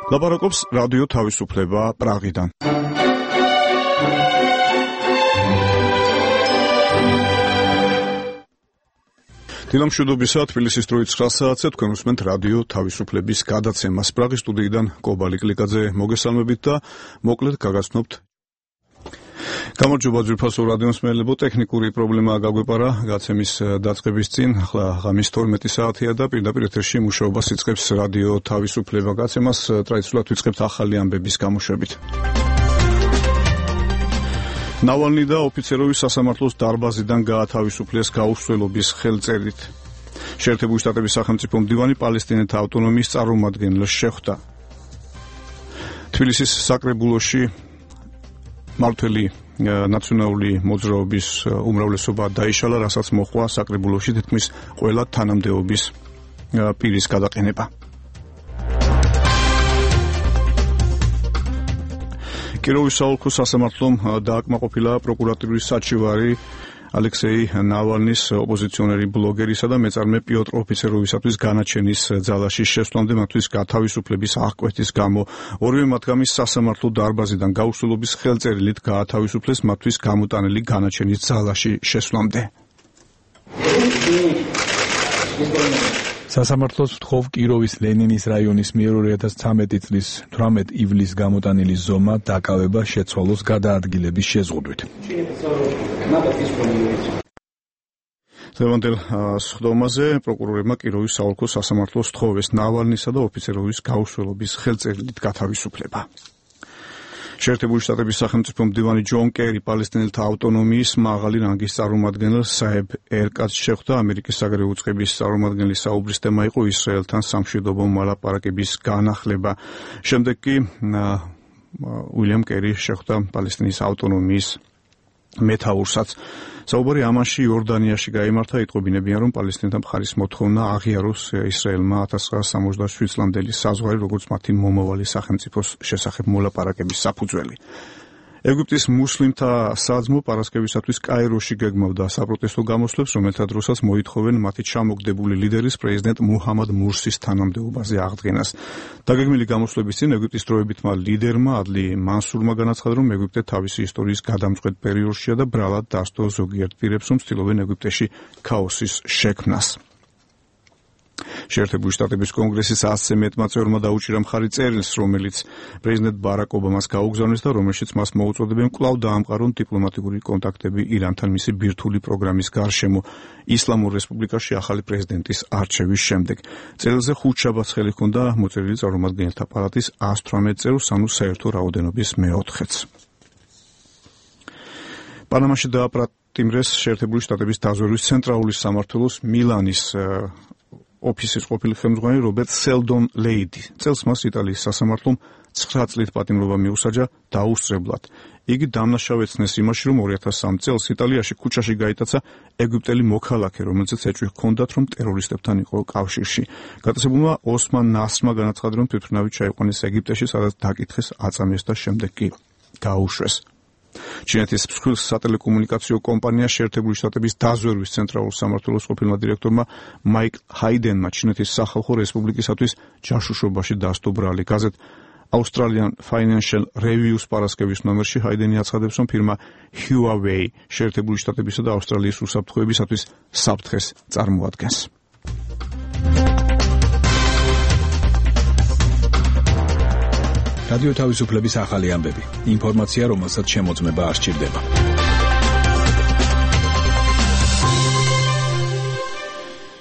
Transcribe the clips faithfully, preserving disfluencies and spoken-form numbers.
ლაპარაკობს რადიო თავისუფლება პრაღიდან. დილამშვიდობისა, თბილისის დროით ცხრა საათზე თქვენ უსმენთ რადიო თავისუფლების გადაცემას. პრაღის სტუდიიდან კობალი კლიკაძე მოგესალმებით და მოკლედ გაგაცნობთ. გამარჯობა ძვირფასო რადიომსმენელებო, ტექნიკური პრობლემა გაგვეპარა გაცემის დაწყების წინ. ახლა ღამის თორმეტი საათია და პირდაპირ ეთერში მუშაობას იწყებს რადიო თავისუფლება. გაცემას ტრადიციულად ვიწყებთ ახალი ამბების გამოშვებით. ნავალნი და ოფიცეროვის სასამართლოს დარბაზიდან გაათავისუფლეს გაუსვლელობის ხელწერით. შეერთებული შტატების სახელმწიფო მდივანი პალესტინელთა ავტონომიის წარმომადგენელს შეხვდა. თბილისის საკრებულოში მმართველი ნაციონალური მოძრაობის უმრავლესობა დაიშალა, რასაც მოჰყვა საკრებულოში თითქმის ყველა თანამდებობის პირის გადაყენება. კიროვის საოლქო სასამართლომ დააკმაყოფილა პროკურატურის საჩივარი ალექსეი ნავალნის ოპოზიციონერი ბლოგერისა და მეწარმე პიოტრ ოფიცეროვისათვის განაჩენის ძალაში შესვლამდე მათთვის გათავისუფლების აღკვეთის გამო. ორივე მათგანის სასამართლო დარბაზიდან გაუსვლელობის ხელწერილით გაათავისუფლეს მათთვის გამოტანილი განაჩენის ძალაში შესვლამდე. სასამართლოს ვთხოვ კიროვის ლენინის რაიონის მიერ ორი ათას ცხრამეტი წლის თვრამეტ ივლისს გამოტანილი ზომა დაკავება შეცვალოს გადაადგილების შეზღუდვით. დღევანდელ სხდომაზე პროკურორებმა კიროვის საოლქო სასამართლოს თხოვეს ნავალნისა და ოფიცეროვის გაუსვლელობის ხელწერილით გათავისუფლება. შეერთებული შტატების სახელმწიფო მდივანი ჯონ კერი პალესტინელთა ავტონომიის მაღალი რანგის წარმომადგენელს საებ ერკატს შეხვდა. ამერიკის საგარეო უწყების წარმომადგენლის საუბრის თემა იყო ისრაელთან სამშვიდობო მოლაპარაკების განახლება. შემდეგ კი უილიამ კერი შეხვდა პალესტინის ავტონომიის მეთაურსაც. საუბარი ამანში იორდანიაში გაიმართა. იტყობინებიან, რომ პალესტინელთა მხარის მოთხოვნა აღიაროს ისრაელმა ათას ცხრაასა სამოცდაშვიდ წლამდელი საზღვარი, როგორც მათი მომავალი სახელმწიფოს შესახებ მოლაპარაკების საფუძველი. ეგვიპტის მუსლიმთა საძმო პარასკევისათვის კაიროში გეგმავდა საპროტესტო გამოსვლებს, რომელთა დროსაც მოითხოვენ მათი ჩამოგდებული ლიდერის პრეზიდენტ მუჰამად მურსის თანამდებობაზე აღდგენას. დაგეგმილი გამოსვლების წინ ეგვიპტის დროებითმა ლიდერმა ადლი მანსურმა განაცხადა, რომ ეგვიპტე თავისი ისტორიის გადამწყვეტ პერიოდშია და ბრალად დასდო ზოგიერთ პირებს, რომ ცდილობენ ეგვიპტეში ქაოსის შექმნას. შეერთებული შტატების კონგრესის ასზე მეტმა წევრმა დაუჭირა მხარი წერილს, რომელიც პრეზიდენტ ბარაკ ობამას გაუგზავნეს და რომელშიც მას მოუწოდებენ კვლავ დაამყარონ დიპლომატიური კონტაქტები ირანთან მისი ბირთვული პროგრამის გარშემო ისლამურ რესპუბლიკაში ახალი პრეზიდენტის არჩევის შემდეგ. წერილზე ხუთშაბათს ხელი ჰქონდა მოწერილი წარმომადგენელთა პალატის ას თვრამეტ წევრს, ანუ საერთო რაოდენობის მეოთხედს. პანამაში დააპატიმრეს შეერთებული შტატების დაზვერვის ცენტრალური სამმართველოს მილანის ოფისის ყოფილი ხელმძღვანელი რობერტ სელდონ ლეიდი. წელს მას იტალიის სასამართლომ ცხრა წლით პატიმრობა მიუსაჯა დაუსწრებლად. იგი დამნაშავე ეცნეს იმაში, რომ ორი ათას სამი წელს იტალიაში ქუჩაში გაიტაცა ეგვიპტელი მოქალაქე, რომელზეც ეჭვი ჰქონდათ, რომ ტერორისტებთან იყო კავშირში. გატაცებულმა ოსმან ნასრმა განაცხადა, რომ თვითმფრინავით ჩაიყვანეს ეგვიპტეში, სადაც დაკითხეს აწამეს და შემდეგ კი გაუშვეს. ჩინეთის მსხვილ სატელეკომუნიკაციო კომპანია შეერთებული შტატების დაზვერვის ცენტრალურ სამმართველოს ყოფილმა დირექტორმა მაიკ ჰაიდენმა ჩინეთის სახალხო რესპუბლიკისათვის ჯაშუშობაში დასდო ბრალი. გაზეთ Australian Financial Review-ს პარასკევის ნომერში ჰაიდენი აცხადებს, რომ ფირმა Huawei შეერთებული შტატებისა და ავსტრალიის უსაფრთხოებისათვის საფრთხეს წარმოადგენს. რადიო თავისუფლების ახალი ამბები. ინფორმაცია, რომელსაც შემოწმება არ სჭირდება.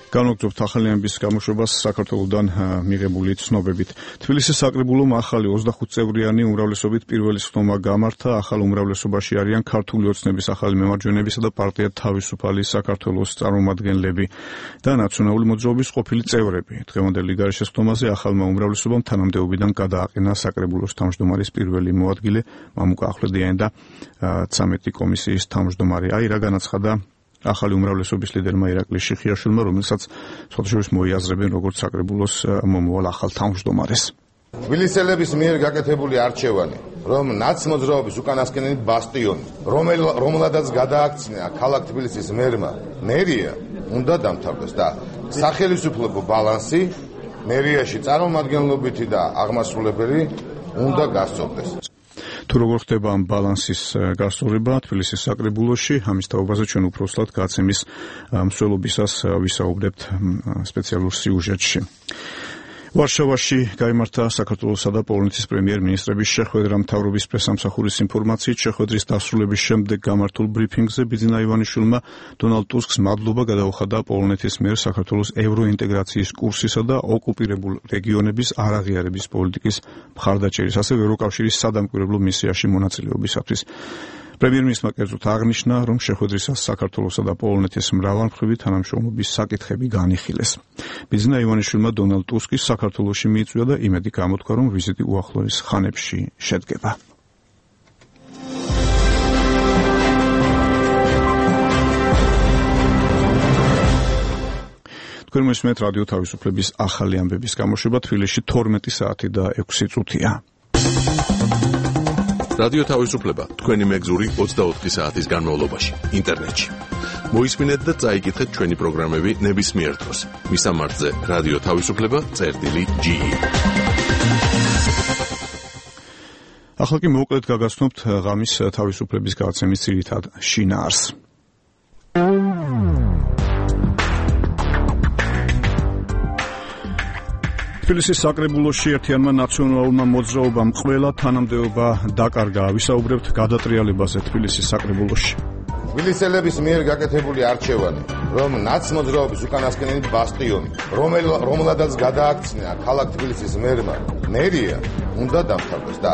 განვაგრძობთ ახალი ამბების გამოშვებას საქართველოსდან მიღებული ცნობებით. თბილისის საკრებულომ ახალი ოცდახუთ წევრიანი უმრავლესობით პირველი სხდომა გამართა. ახალ უმრავლესობაში არიან ქართული ოცნების ახალი მემარჯვენებისა და პარტია თავისუფალი საქართველოს წარმომადგენლები და ნაციონალური მოძრაობის ყოფილი წევრები. დღევანდელი გარეშე სხდომაზე ახალმა უმრავლესობამ თანამდებობიდან გადააყენა საკრებულოს თავმჯდომარის პირველი მოადგილე მამუკა ახვლედიანი და ცამეტი კომისიის თავმჯდომარე. აი რა განაცხადა ახალი უმრავლესობის ლიდერმა ირაკლი შიხიაშვილმა, რომელსაც სხვადასხვა მოიაზრებენ როგორც საკრებულოს მომავალ ახალ თავმჯდომარეს. თბილისელების მიერ გაკეთებული არჩევანი, რომ ნაცმოძრაობის უკანასკნელი ბასტიონი, რომელადაც გადააქცია ქალაქ თბილისის მერმა მერია, უნდა დამთავრდეს და სახელმწიფო ბალანსი მერიაში წარმომადგენლობითი და აღმასრულებელი უნდა გასწორდეს. თუ როგორ ხდება ამ ბალანსის გასწორება თბილისის საკრებულოში, ამის თაობაზე ჩვენ უბრალოდ გაცემის მსვლელობისას ვისაუბრებთ სპეციალურ სიუჟეტში. ვარშავაში გაიმართა საქართველოსა და პოლონეთის პრემიერ-მინისტრების შეხვედრა. მთავრობის პრესამსახურის ინფორმაციით, შეხვედრის დასრულების შემდეგ გამართულ ბრიფინგზე ბიძინა ივანიშვილმა დონალდ ტუსკს მადლობა გადაუხადა პოლონეთის მიერ საქართველოს ევროინტეგრაციის კურსისა და ოკუპირებულ რეგიონების არაღიარების პოლიტიკის მხარდაჭერის, ასევე ევროკავშირის სადამკვირვებლო მისიაში მონაწილეობისათვის. პრემიერ-მინისტრმა კერძოდ აღნიშნა, რომ შეხვედრისას საქართველოსა და პოლონეთის მრავალმხრივი თანამშრომლობის საკითხები განიხილეს. ბიძინა ივანიშვილმა დონალდ ტუსკის საქართველოში მიიწვია და იმედი გამოთქვა, რომ ვიზიტი უახლოეს ხანებში შედგება. თქვენ მოსმენთ რადიო თავისუფლების ახალი ამბების გამოშვება. თბილისში თორმეტი საათი და ექვსი წუთია. რადიო თავისუფლება თქვენი მეგზური ოცდაოთხი საათის განმავლობაში ინტერნეტში. მოისმინეთ და წაიკითხეთ ჩვენი პროგრამები ნებისმიერ დროს. მისამართზე რადიო თავისუფლება წერტილი ჯი ი. ახლა კი მოკლედ გაგაცნობთ ღამის თავისუფლების გადაცემის ძირითად შინაარსს. თბილისის საკრებულოში ერთიანმა ნაციონალურმა მოძრაობამ ყველა თანამდებობა დაკარგა. ვისაუბრებთ გადატრიალებაზე თბილისის საკრებულოში. თბილისელების მიერ გაკეთებული არჩევანი, რომ ნაცმოძრაობის უკანასკნელი ბასტიონი, რომელადაც გადააქცია ქალაქ თბილისის მერმა, მერია უნდა დამთავრდეს და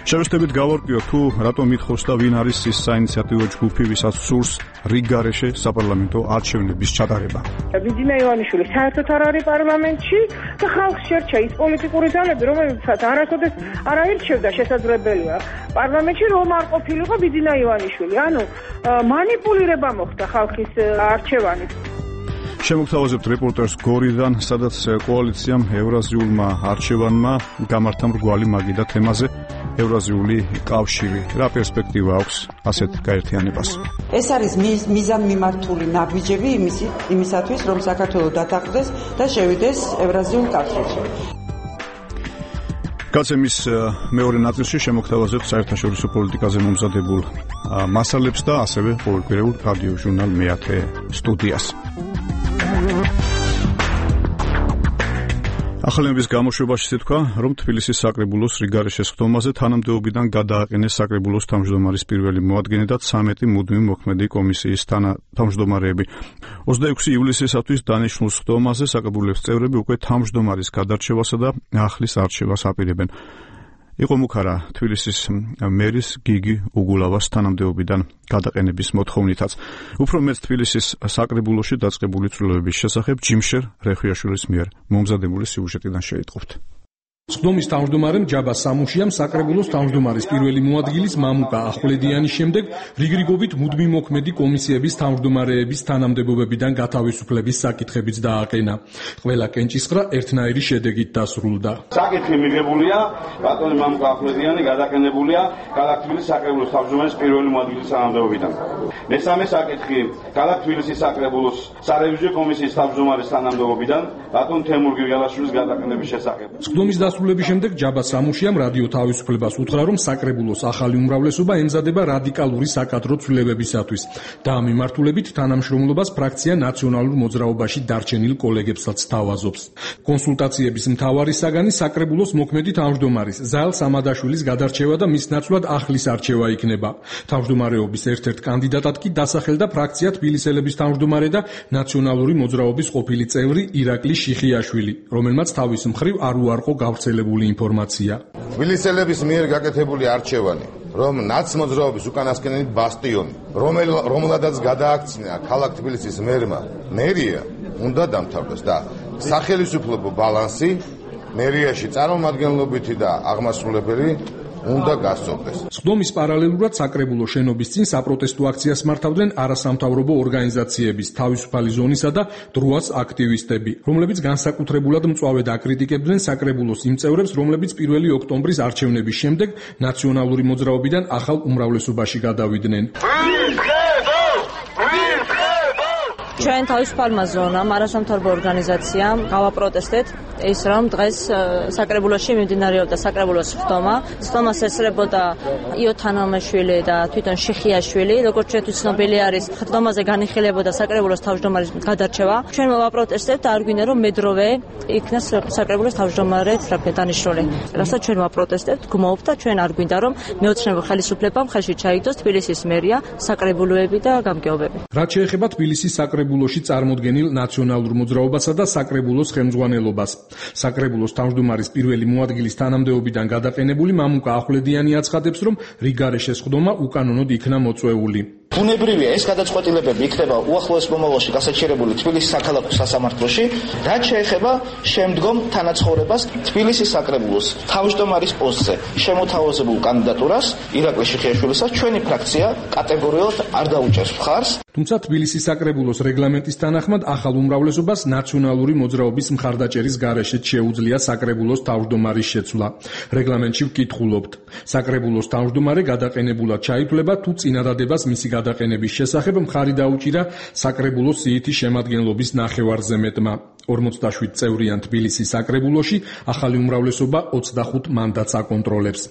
შევეცდებით გავარკვიოთ, თუ რატომ ითხოვს და ვინ არის ის საინიციატივო ჯგუფი, ვისაც სურს რიგგარეშე საპარლამენტო არჩევნების ჩატარება. ბიძინა ივანიშვილი საერთოდ არ არის პარლამენტში და ხალხს შერჩა ის პოლიტიკური ძალები, რომელსაც არასოდეს არ აირჩევდა შესაძლებელია პარლამენტში რომ არ ყოფილიყო ბიძინა ივანიშვილი. ანუ მანიპულირება მოხდა ხალხის არჩევანით. შემოგთავაზებთ რეპორტერს გორიდან, სადაც კოალიციამ ევრაზიულმა არჩევანმა გამართა მრგვალი მაგიდა თემაზე ევრაზიული კავშირი. რა პერსპექტივა აქვს ასეთ გაერთიანებას? ეს არის მიზანმიმართული ნაბიჯები იმისათვის, რომ საქართველო დათანხმდეს და შევიდეს ევრაზიულ კავშირში. გაცემის მეორე ნაწილში შემოგთავაზებთ საერთაშორისო პოლიტიკაზე მომზადებულ მასალებს და ასევე ყოველკვირეულ რადიო ჟურნალ მეათე სტუდიას. ახალების გამოშვებაში თქვა, რომ თბილისის საკრებულოს რიგგარეშეს ხდომაზე თანამდებობიდან გადააყენეს საკრებულოს თავმჯდომარის პირველი მოადგილე და ცამეტი მუდმივი მოქმედი კომისიის თავმჯდომარეები. ოცდაექვსი ივლისისათვის დანიშნულ ხდომაზე საკრებულოს წევრები უკვე თავმჯდომარის გადარჩევასა და ახლის არჩევას აპირებენ. იყო მუქარა თბილისის მერის გიგი უგულავას თანამდებობიდან გადაყენების მოთხოვნითაც. უფრო მეტ თბილისის საკრებულოში დაწყებული ცვლილებების შესახებ ჯიმშერ რეხვიაშვილის მიერ მომზადებული სიუჟეტიდან შეიტყობთ. ხდომის თავმჯდომარემ ჯაბა სამუშიამ საკრებულოს თავმჯდომარის პირველი მოადგილის მამუკა ახვლედიანის შემდეგ რიგრიგობით მუდმივ მოქმედი კომისიების თავმჯდომარეების თანამდებობებიდან გათავისუფლების საკითხებიც დააყენა. ყველა კენჭისყრა ერთნაირი შედეგით დასრულდა. საკითხი მიღებულია, ბატონი მამუკა ახვლედიანი გადაყენებულია ქალაქ თბილისის საკრებულოს თავმჯდომარის პირველი მოადგილის თანამდებობიდან. მესამე საკითხი ქალაქ თბილისის საკრებულოს სარევიზიო კომისიის თავმჯდომარის თანამდებობიდან ბატონ თემურ გიგალაშვილის გადაყენების შესახებ. ხდომის დასრულების შემდეგ ჯაბა სამუშიამ რადიო თავისუფლებას უთხრა, რომ საკრებულოს ახალი უმრავლესობა ემზადება რადიკალური საკადრო ცვლილებებისათვის და ამ მიმართულებით თანამშრომლობას ფრაქცია ნაციონალურ მოძრაობაში დარჩენილ კოლეგებსაც თავაზობს. კონსულტაციების მთავარი საგანი საკრებულოს მოქმედი თავმჯდომარის ზაელ სამადაშვილის გადარჩევა და მის ნაცვლად ახლის არჩევა იქნება. თავმჯდომარეობის ერთ-ერთ კანდიდატად კი დასახელდა ფრაქცია თბილისელების თავმჯდომარე და ნაციონალური მოძრაობის ყოფილი წევრი ირაკლი შიხიაშვილი, რომელმაც თავის მხრივ არ უარყო გავრცელებული ინფორმაცია. თბილისელების მიერ გაკეთებული არჩევანი, რომ ნაცმოძრაობის უკანასკნელი ბასტიონი, რომელადაც გადააქცია ქალაქ თბილისის მერმა, მერია უნდა დამთავრდეს და სახელმწიფო ბალანსი მერიაში წარმომადგენლობითი და აღმასრულებელი უნდა გასწორდეს. ხდომის პარალელურად საკრებულოს შენობის წინ საპროტესტო აქციას მართავდნენ არასამთავრობო ორგანიზაციების, თავისუფალი ზონისა და დროას აქტივისტები, რომლებიც განსაკუთრებულად მწვავედ აკრიტიკებდნენ საკრებულოს იმ წევრებს, რომლებიც პირველი ოქტომბრის არჩევნების შემდეგ ნაციონალური მოძრაობიდან ახალ უმრავლესობაში გადავიდნენ. ჩვენ თავისუფალმა ზონამ, არასამთავრობო ორგანიზაციამ გავაპროტესტეთ ის რომ დღეს საკრებულოში მიმდინარეობდა საკრებულოს ხდომა. ხდომას ესწრებოდა იო თანამაშვილი და თვითონ შიხიაშვილი, როგორც ჩვენთვის ცნობილი არის, ხდომაზე განიხილებოდა საკრებულოს თავმჯდომარის გადარჩევა. ჩვენ ვაპროტესტებთ, არ გვინდა რომ მედროვე იქნას საკრებულოს თავმჯდომარედ დანიშნული. რასაც ჩვენ ვაპროტესტებთ, გმობთ და ჩვენ არ გვინდა რომ მეოცნებო ხელისუფლებამ ხელში ჩაიგდოს თბილისის მერია, საკრებულოები და გამგეობები. რაც შეეხება თბილისის საკრებულოში წარმოდგენილ ნაციონალურ მოძრაობასა და საკრებულოს ხელმძღვანელობას. საკრებულოს თავმჯდომარის პირველი მოადგილის თანამდებობიდან გადაყენებული მამუკა ახვლედიანი აცხადებს, რომ რიგარეშეს ხდომა უკანონოდ იქნა მოწვეული. ბუნებრივია ეს გადაწყვეტილებები იქნება უახლოეს მომავალში გასაჩერებული თბილისის საქალაქო სასამართლოში, რაც შეეხება შემდგომ თანაცხოვრებას თბილისის საკრებულოს თავმჯდომარის პოსტზე შემოთავაზებულ კანდიდატურას ირაკლი შიხიაშვილისას ჩვენი ფრაქცია კატეგორიულად არ დაუჭერს მხარს. თუმცა თბილისის საკრებულოს რეგლამენტის თანახმად ახალ უმრავლესობას ნაციონალური მოძრაობის მხარდაჭერის გარეშე შეუძლია საკრებულოს თავმჯდომარის შეცვლა. რეგლამენტში ვკითხულობთ. საკრებულოს თავმჯდომარე გადაყენებულად ჩაითვლება თუ წინადადებას მისი გადაყენების შესახებ მხარი დაუჭირა საკრებულოს სიითი შემადგენლობის ნახევარზე მეტმა. ორმოცდაშვიდ წევრიან თბილისის საკრებულოში ახალი უმრავლესობა ოცდახუთ მანდატს აკონტროლებს.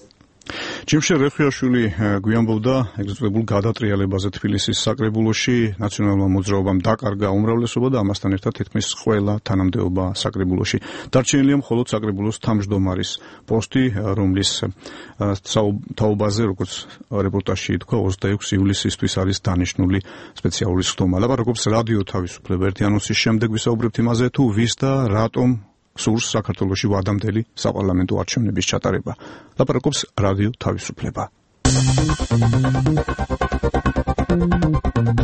ჯიმშე რეხვიაშვილი გვიამბობდა ეგრეთ გადატრიალებაზე თბილისის საკრებულოში ნაციონალურმა მოძრაობამ დაკარგა უმრავლესობა და ამასთან ერთად თითქმის ყველა თანამდებობა საკრებულოში. დარჩენილია მხოლოდ საკრებულოს თავმჯდომარის პოსტი, რომლის თაობაზე, როგორც რეპორტაჟში ითქვა, ოცდაექვსი ივლისისთვის არის დანიშნული სპეციალური ხდომა. ლაპარაკობს რადიო თავისუფლება. ერთი ანონსის შემდეგ ვისაუბრებთ იმაზე, თუ ვის და რატომ სურს საქართველოში ვადამდელი საპარლამენტო არჩევნების ჩატარება. ლაპარაკობს რადიო თავისუფლება.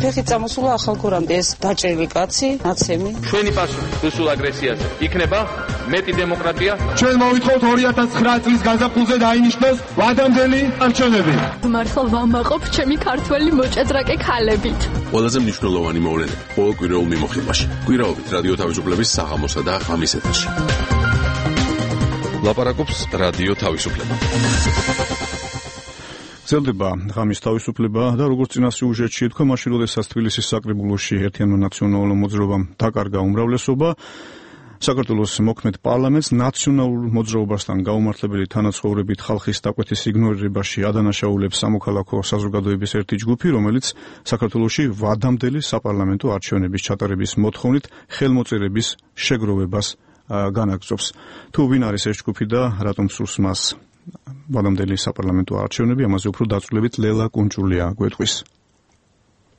ფეხი წამოსულა ახალ გორამდე ეს დაჭრილი კაცი, ნაცემი. ჩვენი პასუხი რუსულ აგრესიაზე იქნება მეტი დემოკრატია. ჩვენ მოვითხოვთ ორი ათას ცხრა წლის გაზაფხულზე დაინიშნოს ვადამდელი არჩევნები. მართლა ვამაყობ ჩემი ქართველი მოჭადრაკე ქალებით. ყველაზე მნიშვნელოვანი მოვლენა ყოველ კვირაულ მიმოხილვაში. კვირაობით რადიო თავისუფლების საღამოსა და ღამის ეთერში. ლაპარაკობს რადიო თავისუფლება. გრძელდება ღამის თავისუფლება და როგორც წინა სიუჟეტში ითქვა, მაშინ როდესაც თბილისის საკრებულოში ერთიანმა ნაციონალურ მოძრაობამ დაკარგა უმრავლესობა, საქართველოს მოქმედ პარლამენტს ნაციონალურ მოძრაობასთან გაუმართლებელი თანაცხოვრებით ხალხის დაკვეთის იგნორირებაში ადანაშაულებს სამოქალაქო საზოგადოების ერთი ჯგუფი, რომელიც საქართველოში ვადამდელი საპარლამენტო არჩევნების ჩატარების მოთხოვნით ხელმოწერების შეგროვებას განაგრძობს. თუ ვინ არის ეს ჯგუფი და რატომ სურს მას ვადამდელი საპარლამენტო არჩევნები, ამაზე უფრო დაწვრილებით ლელა კუნჭულია გვეტყვის.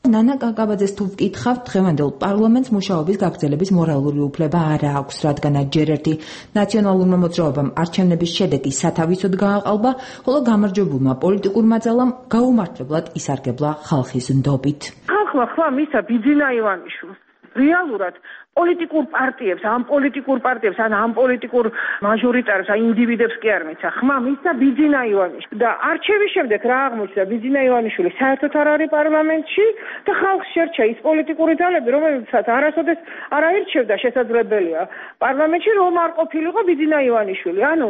ნანა კაკაბაძეს თუ ვკითხავთ, დღევანდელ პარლამენტს მუშაობის გაგრძელების მორალური უფლება არ აქვს, რადგანაც ჯერ ერთი ნაციონალურმა მოძრაობამ არჩევნების შედეგი სათავისოდ გააყალბა, ხოლო გამარჯვებულმა პოლიტიკურმა ძალამ გაუმართლებლად ისარგებლა ხალხის ნდობით. ხალხმა ხმა მისცა ბიძინა ივანიშვილს. რეალურად პოლიტიკურ პარტიებს, ამ პოლიტიკურ პარტიებს, ან ამ პოლიტიკურ მაჟორიტარებს, ან ინდივიდებს კი არ მიცა. ხმა მისცა ბიძინა ივანიშვილი და არჩევის შემდეგ რა აღმოჩნდა, ბიძინა ივანიშვილი საერთოდ არ არის პარლამენტში და ხალხს შერჩა ის პოლიტიკური ძალები, რომელსაც არასოდეს არ აირჩევდა შესაძლებელია პარლამენტში, რომ არ ყოფილიყო ბიძინა ივანიშვილი. ანუ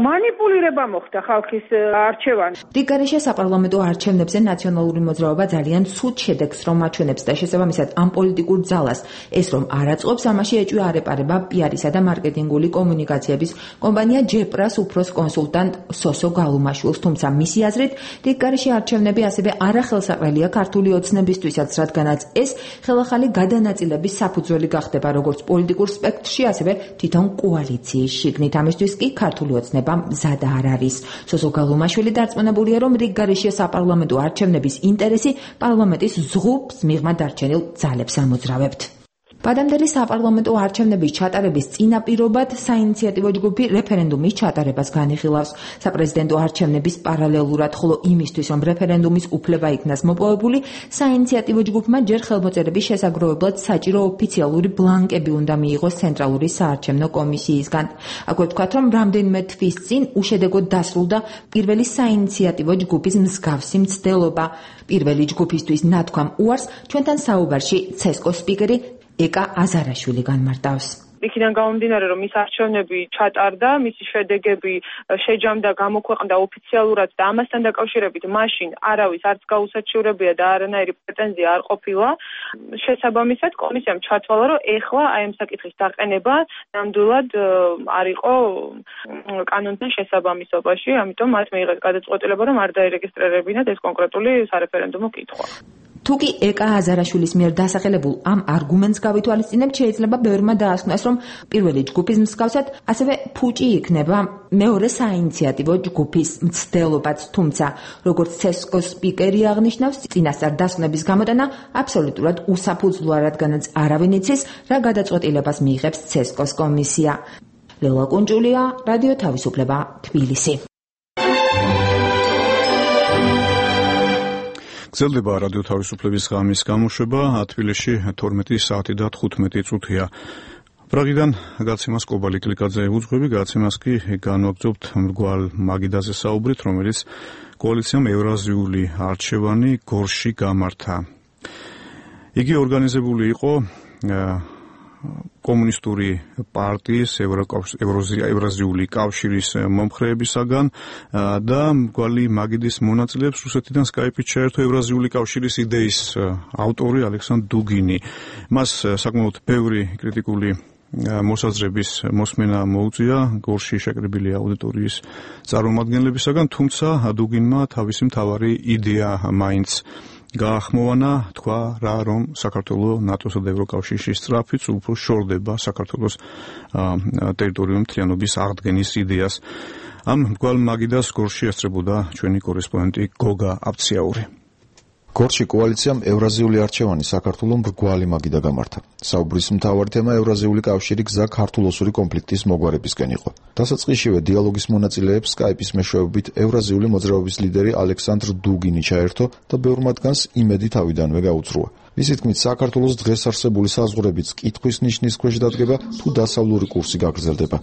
მანიპულირება მოხდა ხალხის არჩევანი. რიგარეშე საპარლამენტო არჩევნებზე ნაციონალური მოძრაობა ძალიან ცუდ შედეგს რომ აჩვენებს და შესაბამისად ამ პოლიტიკურ ძალას ეს რომ არ აწყობს, ამაში ეჭვი არ ეპარება პიარისა და მარკეტინგული კომუნიკაციების კომპანია ჯეპრას უფროს კონსულტანტ სოსო გალუმაშვილს, თუმცა მისი აზრით, რიგარეშე არჩევნები ასევე არახელსაყრელია ქართული ოცნებისთვისაც, რადგანაც ეს ხელახალი გადანაწილების საფუძველი გახდება როგორც პოლიტიკურ სპექტრში, ასევე თვითონ კოალიციის შიგნით. ამისთვის კი ქართული ოცნება მზად არ არის. სოსო გალუმაშვილი დარწმუნებულია, რომ რიგარეშე საპარლამენტო არჩევნების ინტერესი პარლამენტის ზღუპს მიღმა დარჩენილ ძალებს ამოძრავებთ. ვადამდელი საპარლამენტო არჩევნების ჩატარების წინაპირობად საინიციატივო ჯგუფი რეფერენდუმის ჩატარებას განიხილავს. საპრეზიდენტო არჩევნების პარალელურად, ხოლო იმისთვის, რომ რეფერენდუმის უფლება იქნას მოპოვებული, საინიციატივო ჯგუფმა ჯერ ხელმოწერების შესაგროვებლად საჭირო ოფიციალური ბლანკები უნდა მიიღოს ცენტრალური საარჩევნო კომისიისგან. აქვე ვთქვათ, რომ რამდენიმე თვის წინ უშედეგოდ დასრულდა პირველი საინიციატივო ჯგუფის მსგავსი მცდელობა. პირველი ჯგუფისთვის ნათქვამ უარს ჩვენთან საუბარში ცესკოს სპიკერი ეკა აზარაშვილი განმარტავს. იქიდან გამომდინარე, რომ მის არჩევნები ჩატარდა, მისი შედეგები შეჯამდა, გამოქვეყნდა ოფიციალურად და ამასთან დაკავშირებით მაშინ არავის არც გაუსაჩივრებია და არანაირი პრეტენზია არ ყოფილა. შესაბამისად, კომისიამ ჩათვალა, რომ ეხლა აი ამ საკითხის დაყენება ნამდვილად არ იყო კანონთან შესაბამისობაში, ამიტომ მათ მიიღეს გადაწყვეტილება, რომ არ დაერეგისტრირებინათ ეს კონკრეტული სარეფერენდუმო კითხვა. თუკი ეკა აზარაშვილის მიერ დასახელებულ ამ არგუმენტს გავითვალისწინებთ, შეიძლება ბევრმა დაასკვნას, რომ პირველი ჯგუფის მსგავსად ასევე ფუჭი იქნება მეორე საინიციატივო ჯგუფის მცდელობაც, თუმცა როგორც ცესკოს სპიკერი აღნიშნავს, წინასწარ დასკვნების გამოტანა აბსოლუტურად უსაფუძვლოა, რადგანაც არავინ იცის, რა გადაწყვეტილებას მიიღებს ცესკოს კომისია. ლელა კუნჭულია, რადიო თავისუფლება, თბილისი. გრძელდება რადიო თავისუფლების ღამის გამოშვება, თბილისში თორმეტი საათი და თხუთმეტი წუთია. პრაღიდან გაცემას კობალი კლიკაძე უძღვები, გაცემას კი განვაგრძობთ მრგვალ მაგიდაზე საუბრით, რომელიც კოალიციამ ევრაზიული არჩევანი გორში გამართა. იგი ორგანიზებული იყო კომუნისტური პარტიის ევრაზიული კავშირის მომხრეებისაგან და მრგვალი მაგიდის მონაწილეებს რუსეთიდან სკაიპით შეერთო ევრაზიული კავშირის იდეის ავტორი ალექსანდრ დუგინი. მას საკმაოდ ბევრი კრიტიკული მოსაზრების მოსმენა მოუწია გორში შეკრებილი აუდიტორიის წარმომადგენლებისაგან, თუმცა დუგინმა თავისი მთავარი იდეა მაინც გაახმოვანა, თქვა რა, რომ საქართველოს ნატოსა და ევროკავშირის სწრაფით უფრო შორდება საქართველოს ტერიტორიული მთლიანობის აღდგენის იდეას. ამ მრგვალ მაგიდას გორში ესწრებოდა ჩვენი კორესპონდენტი გოგა აფციაური. გორში კოალიციამ ევრაზიული არჩევანი საქართველოს მრგვალი მაგიდა გამართა. საუბრის მთავარი თემა ევრაზიული კავშირი გზა ქართულ-ოსური კონფლიქტის მოგვარებისკენ იყო. დასაწყისშივე დიალოგის მონაწილეებს სკაიპის მეშვეობით ევრაზიული მოძრაობის ლიდერი ალექსანდრ დუგინი ჩაერთო და ბევრ მათგანს იმედი თავიდანვე გაუძრუა. მისი თქმით, საქართველოს დღეს არსებული საზღვრებიც კითხვის ნიშნის ქვეშ დადგება, თუ დასავლური კურსი გაგრძელდება.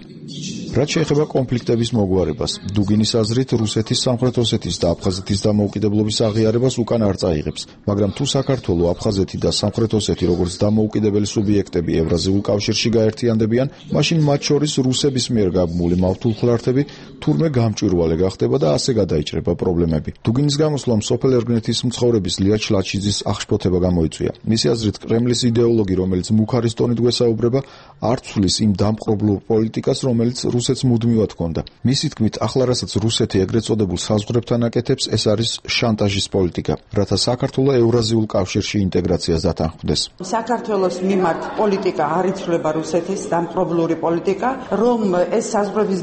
რაც შეეხება კონფლიქტების მოგვარებას, დუგინის აზრით, რუსეთის, სამხრეთ ოსეთის და აფხაზეთის დამოუკიდებლობის აღიარებას უკან არ წაიღებს, მაგრამ თუ საქართველო, აფხაზეთი და სამხრეთ ოსეთი როგორც დამოუკიდებელი სუბიექტები ევრაზიულ კავშირში გაერთიანდებიან, მაშინ მათ შორის რუსების მიერ გაბმული მავთულხლართები თურმე გამჭვირვალე გახდება და ასე გადაიჭრება პრობლემები. დუგინის გამოსვლამ სოფელ ერგნეთის მცხოვრების ლია ჩლაჩიძის აღშფოთება გამოიწვია. მისი აზრით, კრემლის იდეოლოგი, რომელიც მუხარის ტონით გვესაუბრება, არ ცვლის იმ დამპყრობლურ პოლიტიკას, რომელიც რუსეთს მუდმივად ჰქონდა. მისი თქმით, ახლა რასაც რუსეთი ეგრეთ წოდებულ საზღვრებთან აკეთებს, ეს არის შანტაჟის პოლიტიკა, რათა საქართველოს ევრაზიულ კავშირში ინტეგრაციას დათანხმდეს. საქართველოს მიმართ პოლიტიკა არ იცვლება რუსეთის დამპყრობლური პოლიტიკა, რომ ეს საზღვრების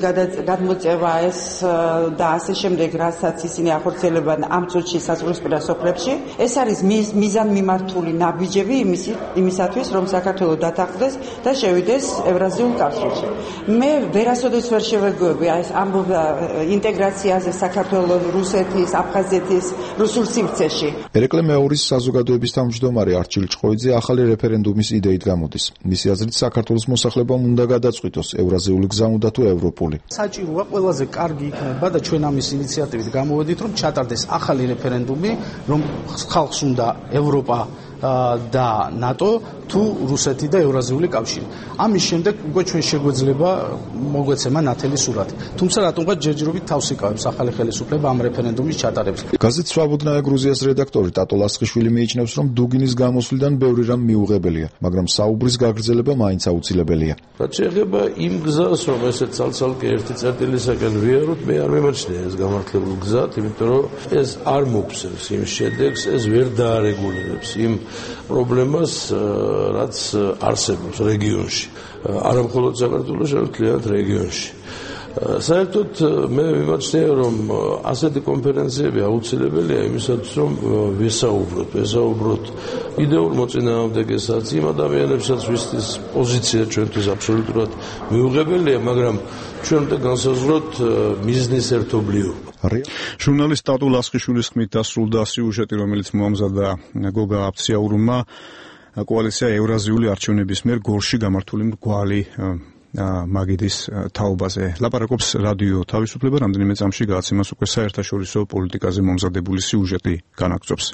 გადმოწევა ეს და ასე შემდეგ, რასაც ისინი ახორციელებენ ამ წუთში საზღვრისპირა სოფლებში, ეს არის მიზანმიმართული ნაბიჯები იმისათვის, რომ საქართველოს დათანხმდეს და შევიდეს ევრაზიულ კავშირში. მე ვერასოდეს ვერ შევეგუები ეს ამბობა ინტეგრაციაზე საქართველოს, რუსეთის, აფხაზეთის რუსულ სივრცეში. ერეკლე მეორის საზოგადოების თავმჯდომარე არჩილ ჭყოიძე ახალი რეფერენდუმის იდეით გამოდის. მისი აზრით, საქართველოს მოსახლებამ უნდა გადაწყვიტოს ევრაზიული გზა უნდა თუ ევროპული. საჭიროა ყველაზე კარგი იქნება და ჩვენ ამის ინიციატივით გამოვედით, რომ ჩატარდეს ახალი რეფერენდუმი, რომ ხალხს უნდა ევროპა და ნატო თუ რუსეთი და ევრაზიული კავშირი. ამის შემდეგ უკვე ჩვენ შეგვეძლება მოგვეცემა ნათელი სურათი. თუმცა რატომღაც ჯერჯერობით თავს იკავებს ახალი ხელისუფლება ამ რეფერენდუმის ჩატარებას. გაზეთ სვაბუდნაია გრუზიას რედაქტორი ტატო ლასხიშვილი მიიჩნევს, რომ დუგინის გამოსვლიდან ბევრი რამ მიუღებელია, მაგრამ საუბრის გაგრძელება მაინც აუცილებელია. რაც შეეხება იმ გზას, რომ ესე ცალ-ცალკე ერთი წერტილისაგან ვიაროთ, მე არ მიმაჩნია ეს გამართლებული გზა, იმიტომ რომ ეს არ მოგცემს იმ შედეგს, ეს ვერ დაარეგულირებს იმ პრობლემას, რაც არსებობს რეგიონში. არა მხოლოდ საქართველოს, არამედ მთლიანად რეგიონში. საერთოდ მე მიმაჩნია, რომ ასეთი კონფერენციები აუცილებელია იმისათვის, რომ ვესაუბროთ, ვესაუბროთ იდეურ მოწინააღმდეგესაც, იმ ადამიანებსაც, ვისთვის პოზიცია ჩვენთვის აბსოლუტურად მიუღებელია, მაგრამ ჩვენ უნდა განსაზღვროთ მიზნის ერთობლიობა. ჟურნალისტ ტატო ლასხიშვილის ხმით დასრულდა სიუჟეტი, რომელიც მოამზადა გოგა აფციაურმა კოალიცია ევრაზიული არჩევნების მიერ გორში გამართული მრგვალი მაგიდის თაობაზე. ლაპარაკობს რადიო თავისუფლება, რამდენიმე წამში გააცემას უკვე საერთაშორისო პოლიტიკაზე მომზადებული სიუჟეტი განაგრძობს.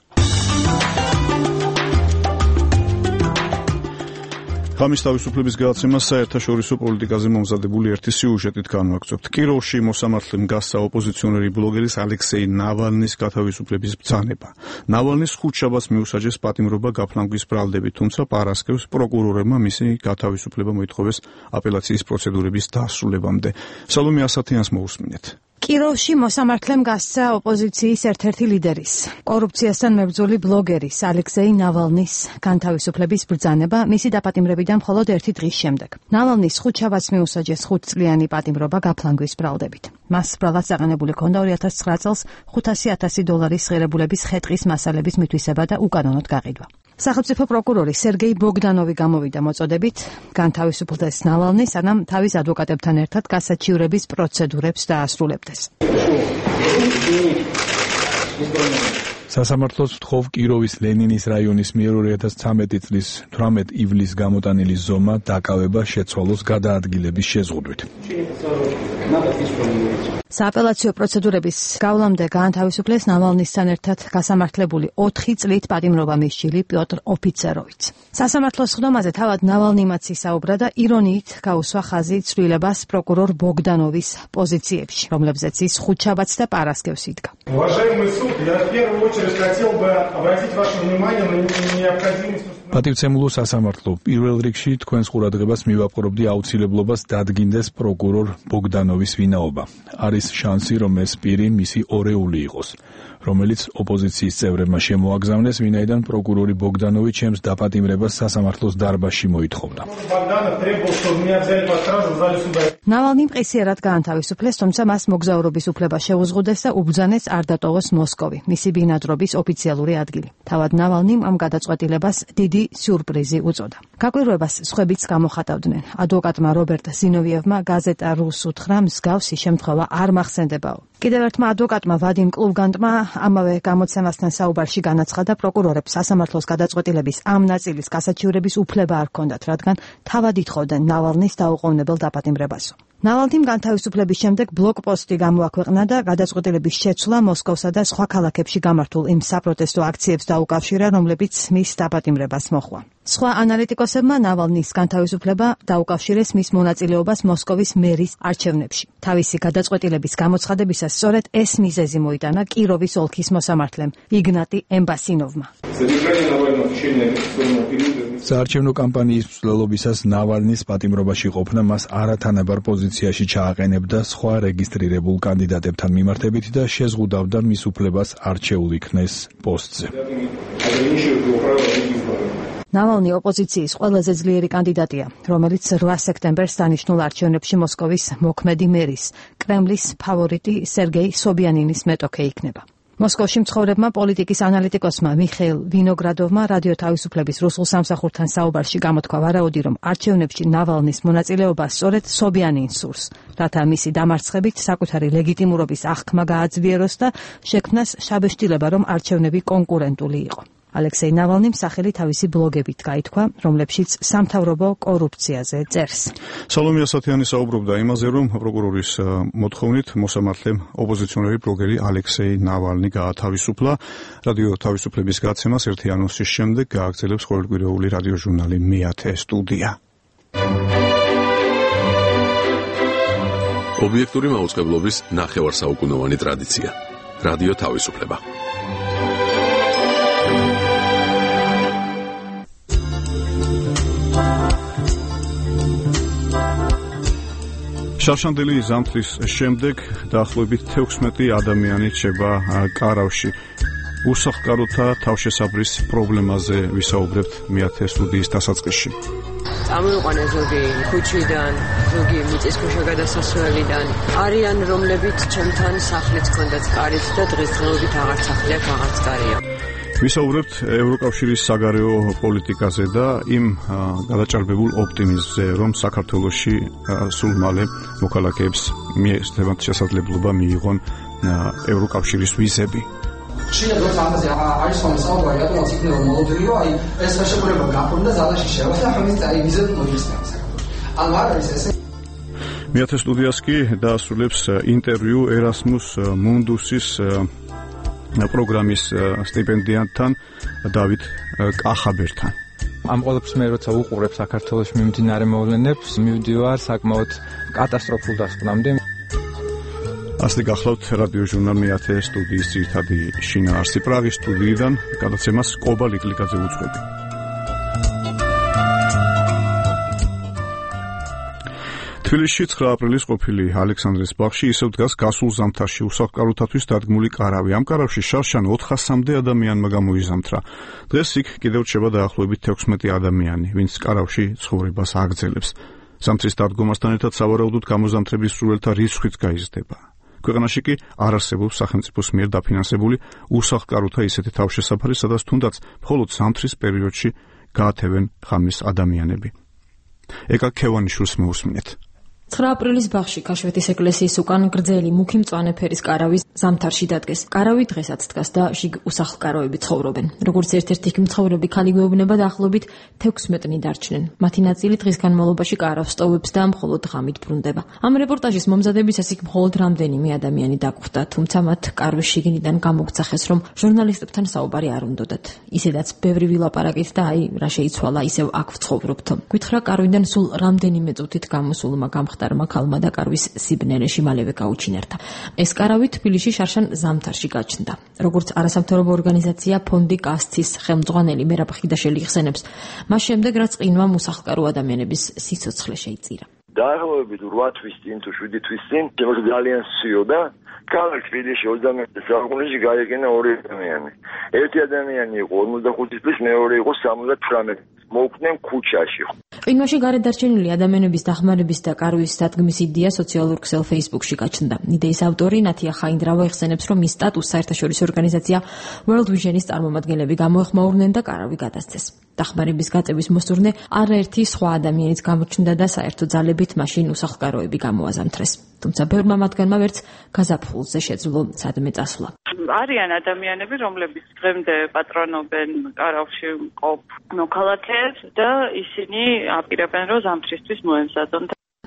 ღამის თავისუფლების გადაცემა საერთაშორისო პოლიტიკაზე მომზადებული ერთი სიუჟეტით განვაგრძობთ. კიროვში მოსამართლე მგასცა ოპოზიციონერი ბლოგერის ალექსეი ნავალნის გათავისუფლების ბრძანება. ნავალნის ხუთშაბათს მიუსაჯეს პატიმრობა გაფლანგვის ბრალდებით, თუმცა პარასკევს პროკურორებმა მისი გათავისუფლება მოითხოვეს აპელაციის პროცედურების დასრულებამდე. სალომე ასათიანს მოусმინეთ. კიროვში მოსამართლემ გასცა ოპოზიციის ერთ-ერთი ლიდერის, კორუფციასთან მებრძოლი ბლოგერის ალექსეი ნავალნის განთავისუფლების ბრძანება მისი დაპატიმრებიდან მხოლოდ ერთი დღის შემდეგ. ნავალნის ხუთშაბათს მიუსაჯეს ხუთწლიანი პატიმრობა გაფლანგვის ბრალდებით. მას ბრალად წაყენებული ჰქონდა ორი ათას ცხრა წელს ხუთასი ათასი დოლარის ღირებულების ხე-ტყის მასალების მითვისება და უკანონოდ გაყიდვა. სახელმწიფო პროკურორი სერგეი ბოგდანოვი გამოვიდა მოწოდებით განთავისუფლდეს ნავალნი, სანამ თავის ადვოკატებთან ერთად გასაჩივრების პროცედურებს დაასრულებდეს. სასამართლოს ვთხოვ კიროვის ლენინის რაიონის მიერ ორი ათას ცხრამეტი წლის თვრამეტ ივლისს გამოტანილი ზომა დაკავება შეცვალოს გადაადგილების შეზღუდვით. სააპელაციო პროცედურების გავლამდე გაანთავისუფლეს ნავალნისთან ერთად გასამართლებული ოთხი წლით პატიმრობა მისჯილი პიოტრ ოფიცეროვიც. სასამართლოს ხდომაზე თავად ნავალნიმაც ისაუბრა და ირონიით გაუსვა ხაზი ცვლილებას პროკურორ ბოგდანოვის პოზიციებში, რომლებზეც ის ხუთშაბათს და პარასკევს იდგა. პატივცემულო სასამართლო, პირველ რიგში თქვენს ყურადღებას მივაპყრობდი აუცილებლობას დადგინდეს პროკურორ ბოგდანოვის ვინაობა. არის შანსი, რომ ეს პირი მისი ორეული იყოს, რომელიც ოპოზიციის წევრებმა შემოაგზავნეს, ვინაიდან პროკურორი ბოგდანოვი ჩემს დაპატიმრებას სასამართლოს დარბაზში მოითხოვდა. ნავალნი მყისიერად გაანთავისუფლეს, თუმცა მას მოგზაურობის უფლება შეუზღუდეს და უბრძანეს არ დატოვოს მოსკოვი, მისი ბინადრობის ოფიციალური ადგილი. თავად ნავალნიმ ამ გადაწყვეტილებას დიდი სიურპრიზი უწოდა. გაკვირვებას სხვებიც გამოხატავდნენ. ადვოკატმა რობერტ ზინოვიევმა გაზეტა რუს უთხრა, მსგავსი შემთხვევა არ მახსენდებაო. კიდევ ერთმა ადვოკატმა ვადიმ კლუგანტმა ამავე გამოცემასთან საუბარში განაცხადა, პროკურორებს სასამართლოს გადაწყვეტილების ამ ნაწილის გასაჩივრების უფლება არ ჰქონდათ, რადგან თავად ითხოვდნენ ნავალნის დაუყოვნებელ დაპატიმრებასო. ნავალნიმ განთავისუფლების შემდეგ ბლოგპოსტი გამოაქვეყნა და გადაწყვეტილების შეცვლა მოსკოვსა და სხვა ქალაქებში გამართულ იმ საპროტესტო აქციებს დაუკავშირა, რომლებიც მის დაპატიმრებას მოჰყვა. სხვა ანალიტიკოსებმა ნავალნის განთავისუფლება დაუკავშირეს მის მონაწილეობას მოსკოვის მერის არჩევნებში. თავისი გადაწყვეტილების გამოცხადებისას სწორედ ეს მიზეზი მოიტანა კიროვის ოლქის მოსამართლემ იგნატი ემბასინოვმა. საარჩევნო კამპანიის მსვლელობისას ნავალნის პატიმრობაში ყოფნა მას არათანაბარ პოზიციაში ჩააყენებდა სხვა რეგისტრირებულ კანდიდატებთან მიმართებით და შეზღუდავდა მის უფლებას არჩეულ იქნეს პოსტზე. ნავალნი ოპოზიციის ყველაზე ძლიერი კანდიდატია, რომელიც რვა სექტემბერს დანიშნულ არჩევნებში მოსკოვის მოქმედი მერის, კრემლის ფავორიტი სერგეი სობიანინის მეტოქე იქნება. მოსკოვში მცხოვრებმა პოლიტიკის ანალიტიკოსმა მიხეილ ვინოგრადოვმა რადიო თავისუფლების რუსულ სამსახურთან საუბარში გამოთქვა ვარაუდი, რომ არჩევნებში ნავალნის მონაწილეობა სწორედ სობიანინს სურს, რათა მისი დამარცხებით საკუთარი ლეგიტიმურობის აღქმა გააძლიეროს და შექმნას შაბეშტილება, რომ არჩევნები კონკურენტული იყო. ალექსეი ნავალნიმ სახელი თავისი ბლოგებით გაითქვა, რომლებშიც სამთავრობო კორუფციაზე წერს. სალომე ასათიანი საუბრობდა იმაზე, რომ პროკურორის მოთხოვნით მოსამართლემ ოპოზიციონერი ბლოგერი ალექსეი ნავალნი გაათავისუფლა. რადიო თავისუფლების გადაცემას ერთი ანონსის შემდეგ გააგრძელებს ყოველკვირეული რადიოჟურნალი მეათე სტუდია. ობიექტური მაუწყებლობის ნახევარსაუკუნოვანი ტრადიცია. რადიო თავისუფლება. შავშანდელი ზამთრის შემდეგ დაახლოებით თექვსმეტი ადამიანი რჩება კარავში. უსახლკაროთა თავშესაბრის პრობლემაზე ვისაუბრებთ მეათე სტუდიის დასაწყისში. წამოიყვანა ზოგი ქუჩიდან, ზოგი მიწისქვეშა გადასასვლელიდან. არიან რომლებიც ჩემთან სახლიც ჰქონდათ კარით და დღესდღეობით აღარ სახლი აქვს, აღარც კარია. ვისაუბრებთ ევროკავშირის საგარეო პოლიტიკაზე და იმ გადაჭარბებულ ოპტიმიზმზე, რომ საქართველოში სულ მალე მოქალაქეებს მიესწრებათ შესაძლებლობა მიიღონ ევროკავშირის ვიზები. შეიძლება რომ ამაზე არის სამსაუბარი, რატომაც იქნება მოლოდინი, რომ აი ეს ხელშეკრულება გაფორმდა ზადაში შევა და ამის აი ვიზები მოიხსნება საქართველოს. ანუ არ არის ესე. მეათე სტუდიას კი დაასრულებს ინტერვიუ ერასმუს მუნდუსის პროგრამის სტიპენდიანტთან დავით კახაბერთან. ამ ყველაფერს მე როცა უყურებ საქართველოს მიმდინარე მოვლენებს, მივდივარ საკმაოდ კატასტროფულ დასკვნამდე. ასეთი გახლავთ რადიო ჟურნალ მეათე სტუდიის ძირითადი შინაარსი პრაღის სტუდიიდან გადაცემას კობა ლიკლიკაძე უძღვები. თბილისში ცხრა აპრილის ყოფილი ალექსანდრეს ბაღში ისევ დგას გასულ ზამთარში უსახლკაროთათვის დადგმული კარავი. ამ კარავში შარშან ოთხასამდე ადამიანმა გამოიზამთრა. დღეს იქ კიდევ რჩება დაახლოებით თექვსმეტი ადამიანი, ვინც კარავში ცხოვრებას აგრძელებს. ზამთრის დადგომასთან ერთად სავარაუდოდ გამოზამთრების სრულელთა რიცხვიც გაიზრდება. ქვეყანაში კი არ არსებობს სახელმწიფოს მიერ დაფინანსებული უსახლკაროთა ისეთი თავშესაფარი, სადაც თუნდაც მხოლოდ ზამთრის პერიოდში გაათევენ ღამის ადამიანები. ეკა ქევანიშვილს მოусმინეთ. ცხრა აპრილის ბაღში ქაშვეთის ეკლესიის უკან გრძელი მუქი მწვანე ფერის კარავი ზამთარში დადგეს. კარავი დღესაც დგას და შიგ უსახლკაროები ცხოვრობენ. როგორც ერთ-ერთი იქ მცხოვრები ქალი გვეუბნება, დაახლოებით თექვსმეტნი დარჩნენ. მათი ნაწილი დღის განმავლობაში კარავს სტოვებს და მხოლოდ ღამით ბრუნდება. ამ რეპორტაჟის მომზადებისას იქ მხოლოდ რამდენიმე ადამიანი დაგვხვდა, თუმცა მათ კარვის შიგნიდან გამოგცახეს, რომ ჟურნალისტებთან საუბარი არ უნდოდათ. ისედაც ბევრი ვილაპარაკით და აი რა შეიცვალა, ისევ აქ ვცხოვრობთ. გითხრა კარვიდან სულ რამდენიმე წუთით გამოსულმა გამხდარმა ქალმა და კარვის სიბნელეში მალევე გაუჩინარდა. ეს კარავი თბილისში შარშან ზამთარში გაჩნდა. როგორც არასამთავრობო ორგანიზაცია ფონდი კასცის ხელმძღვანელი მერაბ ხიდაშელი იხსენებს, მას შემდეგ რაც ყინვამ უსახლკარო ადამიანების სიცოცხლე შეიწირა. დაახლოებით რვა თვის წინ თუ შვიდი თვის წინ შემოგვიდა ძალიან სიოდა. ქალაქ თბილისში ოცდამეტ საუკუნეში გაიყინა ორი ადამიანი. ერთი ადამიანი იყო ორმოცდახუთი წლის, მეორე იყო სამოცდათვრამეტი. მოუკვდნენ ქუჩაში. ყინვაში გარეთ დარჩენილი ადამიანების დახმარების და კარვის დადგმის იდეა სოციალურ ქსელ Facebook-ში გაჩნდა. იდეის ავტორი ნათია ხაინდრავა იხსენებს, რომ მის სტატუსს საერთაშორისო ორგანიზაცია World Vision-ის წარმომადგენლები გამოეხმაურნენ და კარავი გადასცეს. დახმარების გაწევის მოსურნე არაერთი სხვა ადამიანიც გამოჩნდა და საერთო ძალებით მაშინ უსახლკაროები გამოაზამთრეს. თუმცა ბევრმა მათგანმა ვერც გაზაფხულზე შეძლო სადმე წასვლა. არიან ადამიანები, რომლებიც დღემდე პატრონობენ კარავში მყოფ მოქალაქეებს და ისინი აპირებენ, რომ ზამთრისთვის მოემზადონ.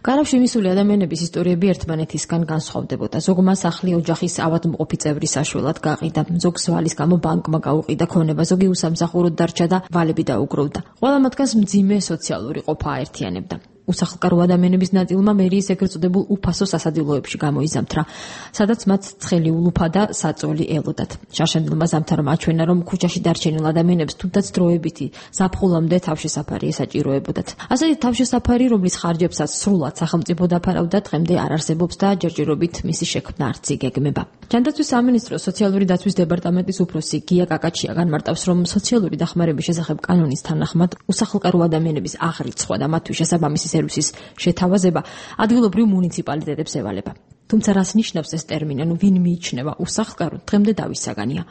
კარავში მისული ადამიანების ისტორიები ერთმანეთისგან განსხვავდებოდა. ზოგმა სახლი ოჯახის ავადმყოფი წევრის საშველად გაყიდა, ზოგს ვალის გამო ბანკმა გაუყიდა ქონება, ზოგი უსამსახუროდ დარჩა და ვალები დაუგროვდა. ყველა მათგანს მძიმე სოციალური ყოფა აერთიანებდა. უსახლკარო ადამიანების ნაწილმა მერიის ეგრეთ წოდებულ უფასო სასადილოებში გამოიზამთრა, სადაც მათ ცხელი ულუფა და საწოლი ელოდათ. შარშანდილმა ზამთარმა აჩვენა, რომ ქუჩაში დარჩენილ ადამიანებს თუნდაც დროებითი ზაფხულამდე თავშესაფარი ესაჭიროებოდათ. ასეთი თავშესაფარი, რომლის ხარჯებსაც სრულად სახელმწიფო დაფარავდა, დღემდე არ არსებობს და ჯერჯერობით მისი შექმნა არც იგეგმება. ჯანდაცვის სამინისტროს სოციალური დაცვის დეპარტამენტის უფროსი გია კაკაჩია განმარტავს, რომ სოციალური დახმარების შესახებ კანონის თანახმად უსახლკარო ადამიანების აღრიცხვა და მათთვის შესაბამისი სერვისის შეთავაზება ადგილობრივ მუნიციპალიტეტებს ევალება. თუმცა რას ნიშნავს ეს ტერმინი, ანუ ვინ მიიჩნევა უსახლკარო, დღემდე დავის საგანია.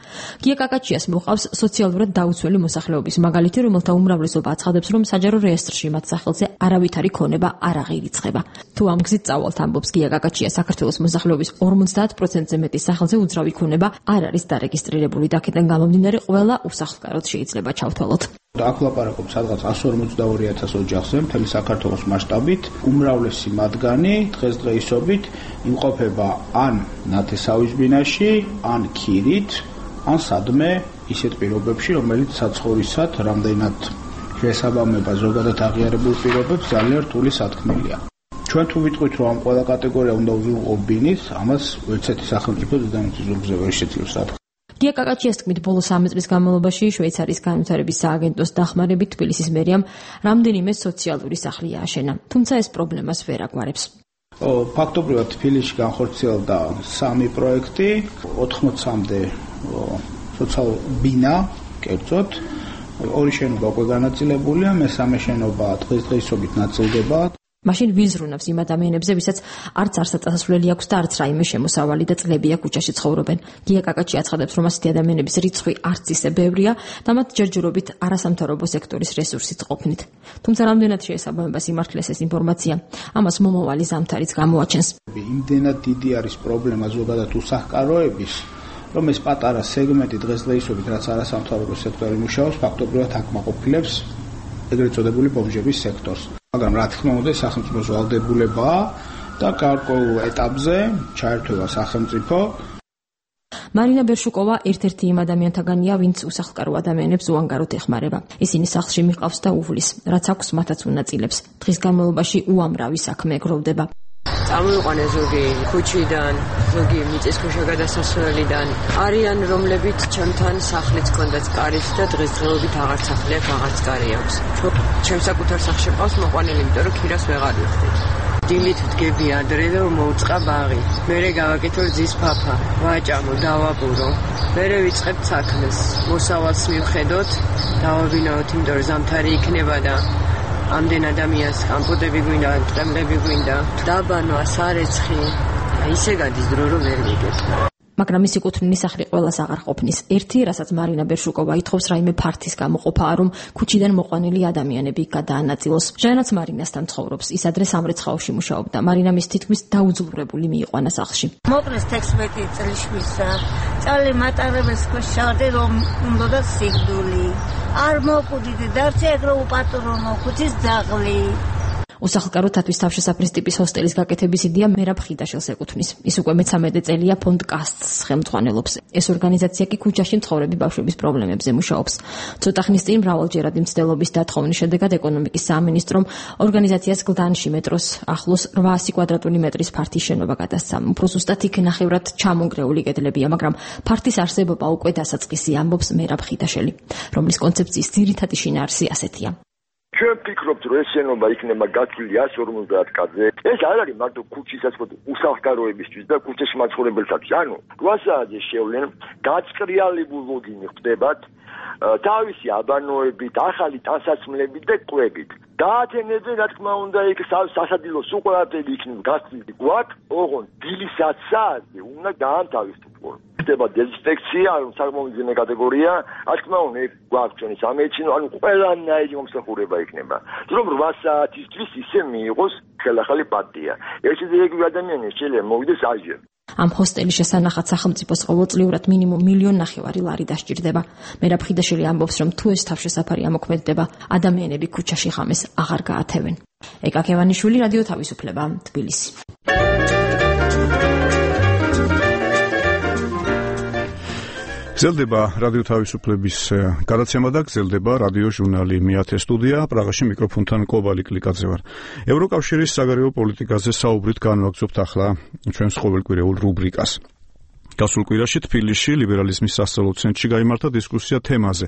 გია კაკაჩიას მოყავს სოციალურად დაუცველი მოსახლეობის მაგალითი, რომელთა უმრავლესობა აცხადებს, რომ საჯარო რეესტრში მათ სახელზე არავითარი ქონება არ აღირიცხება. თუ ამ გზით წავალთ, ამბობს გია კაკაჩია, საქართველოს მოსახლეობის ორმოცდაათ პროცენტზე მეტის სახელზე უძრავი ქონება არ არის დარეგისტრირებული და აქედან გამომდინარე ყველა უსახლკაროდ შეიძლება ჩავთვალოთ. აქ ვლაპარაკობ სადღაც εκατს ორმოცდაორი ათას ოჯახზე მთელი საქართველოს მასშტაბით. უმრავლესი მათგანი დღესდღეობით იმყოფება ან ნათესავის ბინაში, ან ქირით, ან სადმე ისეთ პირობებში, რომელიც საცხოვრისად რამდენად შესაბამება ზოგადად აღიარებულ პირობებს ძალიან რთული სათქმელია. ჩვენ თუ ვიტყვით, რომ ამ ყველა კატეგორია უნდა ვიღო ბინის, ამას ერთერთი სახელმწიფო დედამიწის ზურგზე ვერ შეძლებს რა. გია კაკაჩიას თქმით, ბოლო სამი წლის განმავლობაში შვეიცარიის განვითარების სააგენტოს დახმარებით თბილისის მერიამ რამდენიმე სოციალური სახლი ააშენა, თუმცა ეს პრობლემას ვერ აგვარებს. ფაქტობრივად თბილისში განხორციელდა სამი პროექტი, ოთხმოცამდე სოციალურ ბინა, კერძოდ, ორი შენობა უკვე განაწილებულია, მესამე შენობა დღესდღეობით ნაწილდება. მაშინ ვიზრუნავს იმ ადამიანებზე, ვისაც არც არსაწასასვლელი აქვს და არც რაიმე შემოსავალი და წლებია ქუჩაში ცხოვრობენ. გია კაკაჩია აცხადებს, რომ ასეთი ადამიანების რიცხვი არც ისე ბევრია და მათ ჯერჯერობით არასამთავრობო სექტორის რესურსით ყოფნით. თუმცა რამდენად შეესაბამება სიმართლეს ეს ინფორმაცია, ამას მომავალი ზამთარიც გამოაჩენს. იმდენად დიდი არის პრობლემა ზოგადად უსახლკაროების, რომ ეს პატარა სეგმენტი დღესდღეობით, რაც არასამთავრობო სექტორი მუშაობს, ფაქტობრივად აკმაყოფილებს ეგრეთ წოდებული ბომჟების სექტორს. მაგრამ რა თქმა უნდა სახელმწიფოს ვალდებულებაა და გარკვეულ ეტაპზე ჩაერთვება სახელმწიფო. მარინა ბერშუკოვა ერთ-ერთი იმ ადამიანთაგანია, ვინც უსახლკარო ადამიანებს უანგაროდ ეხმარება. ისინი სახლში მიყავს და უვლის, რაც აქვს მათაც უნაწილებს. დღის განმავლობაში უამრავი საქმე გროვდება. წამოიყვანე ზოგი ქუჩიდან, ზოგი მიწისქვეშა გადასასვლელიდან. არიან რომლებიც ჩემთან სახლიც ჰქონდათ კარით და დღესდღეობით აღარ სახლი აქვს, აღარც კარი აქვს. ჩემს საკუთარ სახლში ყავს მოყვანილი, იმიტომ რომ ქირას ვეღარ ვიხდით. დილით ვდგები ადრე და მოუწყა ბაღი. მერე გავაკეთო რძის ფაფა, ვაჭამო, დავაბურო. მერე ვიწყებ საქმეს. მოსავალს მივხედოთ, დავაბინაოთ, იმიტომ რომ ზამთარი იქნება და ამდენ ადამიანს კამპოტები გვინდა, ტყემლები გვინდა, დაბანო, ასარეცხი, ისე გადის დრო რომ ვერ ვიგებ. მაგრამ მისი კუთვნილი სახლი ყველას აღარ ყოფნის. ერთი, რასაც მარინა ბერშუკოვა ითხოვს რაიმე ფართის გამოყოფაა, რომ ქუჩიდან მოყვანილი ადამიანები გადაანაწილოს. ჟანაც მარინასთან ცხოვრობს. ის ადრე სამრეცხაოში მუშაობდა. მარინა მის თითქმის დაუძლურებული მიიყვანა სახლში. მოკლეს თექვსმეტი წლის შვილსა. წალი მატარებელს ქვეშ ჩავდი, რომ უნდა სიკვდილი. არ მოკუდიდი, დარჩე ეგრო უპატრონო, ქუჩის ძაღლი. უსახლკარო თათვის თავშესაფრის ტიპის ჰოსტელის გაკეთების იდეა მერაბ ხიდაშელს ეკუთვნის. ის უკვე მეცამეტე წელია ფონდ კასტს ხელმძღვანელობს. ეს ორგანიზაცია კი ქუჩაში მცხოვრები ბავშვების პრობლემებზე მუშაობს. ცოტა ხნის წინ მრავალჯერადი მცდელობის დათხოვნის შედეგად ეკონომიკის სამინისტრომ ორგანიზაციას გლდანში მეტროს ახლოს რვაასი კვადრატული მეტრის ფართის შენობა გადასცა. უფრო ზუსტად იქ ნახევრად ჩამონგრეული კედლებია, მაგრამ ფართის არსებობა უკვე დასაწყისი, ამბობს მერაბ ხიდაშელი, რომლის კონცეფციის ძირითადი შინაარსი ასეთია. ჩვენ ვფიქრობთ, რომ ეს შენობა იქნება გათვლილი εκατს ორმოცდაათ კადრზე. ეს არ არის მარტო ქუჩისაც უსახლკაროებისთვის და ქუჩაში მაცხოვრებელთათვის. ანუ რვა საათზე შევლენ, გაწყრიალებულ ლოგინი ხდებათ, თავისი აბანოებით, ახალი ტანსაცმლებით და კვებით. გაათენებენ, რა თქმა უნდა, იქ სასადილო სულ ყველაფერი იქნება გასწრილი გვაქვს, ოღონდ დილის ათ საათზე უნდა გაანთავისუფლონ. ხდება დეზინფექცია, საკმაოდ ძიმე კატეგორია, რა თქმა უნდა, გვაქვს ჩვენი სამედიცინო, ანუ ყველანაირი მომსახურება იქნება. რომ რვა საათისთვის ისე მიიღოს ხელახალი პარტია. ერთი დირექტორი ადამიანი შეიძლება მოვიდეს აჟერ. ამ ჰოსტელის შესანახად სახელმწიფოს ყოველწლიურად მინიმუმ მილიონ ნახევარი ლარი დასჭირდება. მერაბ ხიდაშელი ამბობს, რომ თუ ეს თავშესაფარი ამოქმედდება, ადამიანები ქუჩაში ხამეს აღარ გაათევენ. ეკა კევანიშვილი, რადიო თავისუფლება, თბილისი. გრძელდება რადიო თავისუფლების გადაცემა და გრძელდება რადიო ჟურნალი მეათე სტუდია. პრაღაში მიკროფონთან კობალი კლიკაძე ვარ. ევროკავშირის საგარეო პოლიტიკაზე საუბრით განვაგრძობთ ახლა ჩვენს ყოველკვირეულ რუბრიკას. გასულ კვირაში თბილისში ლიბერალიზმის სასწავლო ცენტრში გაიმართა დისკუსია თემაზე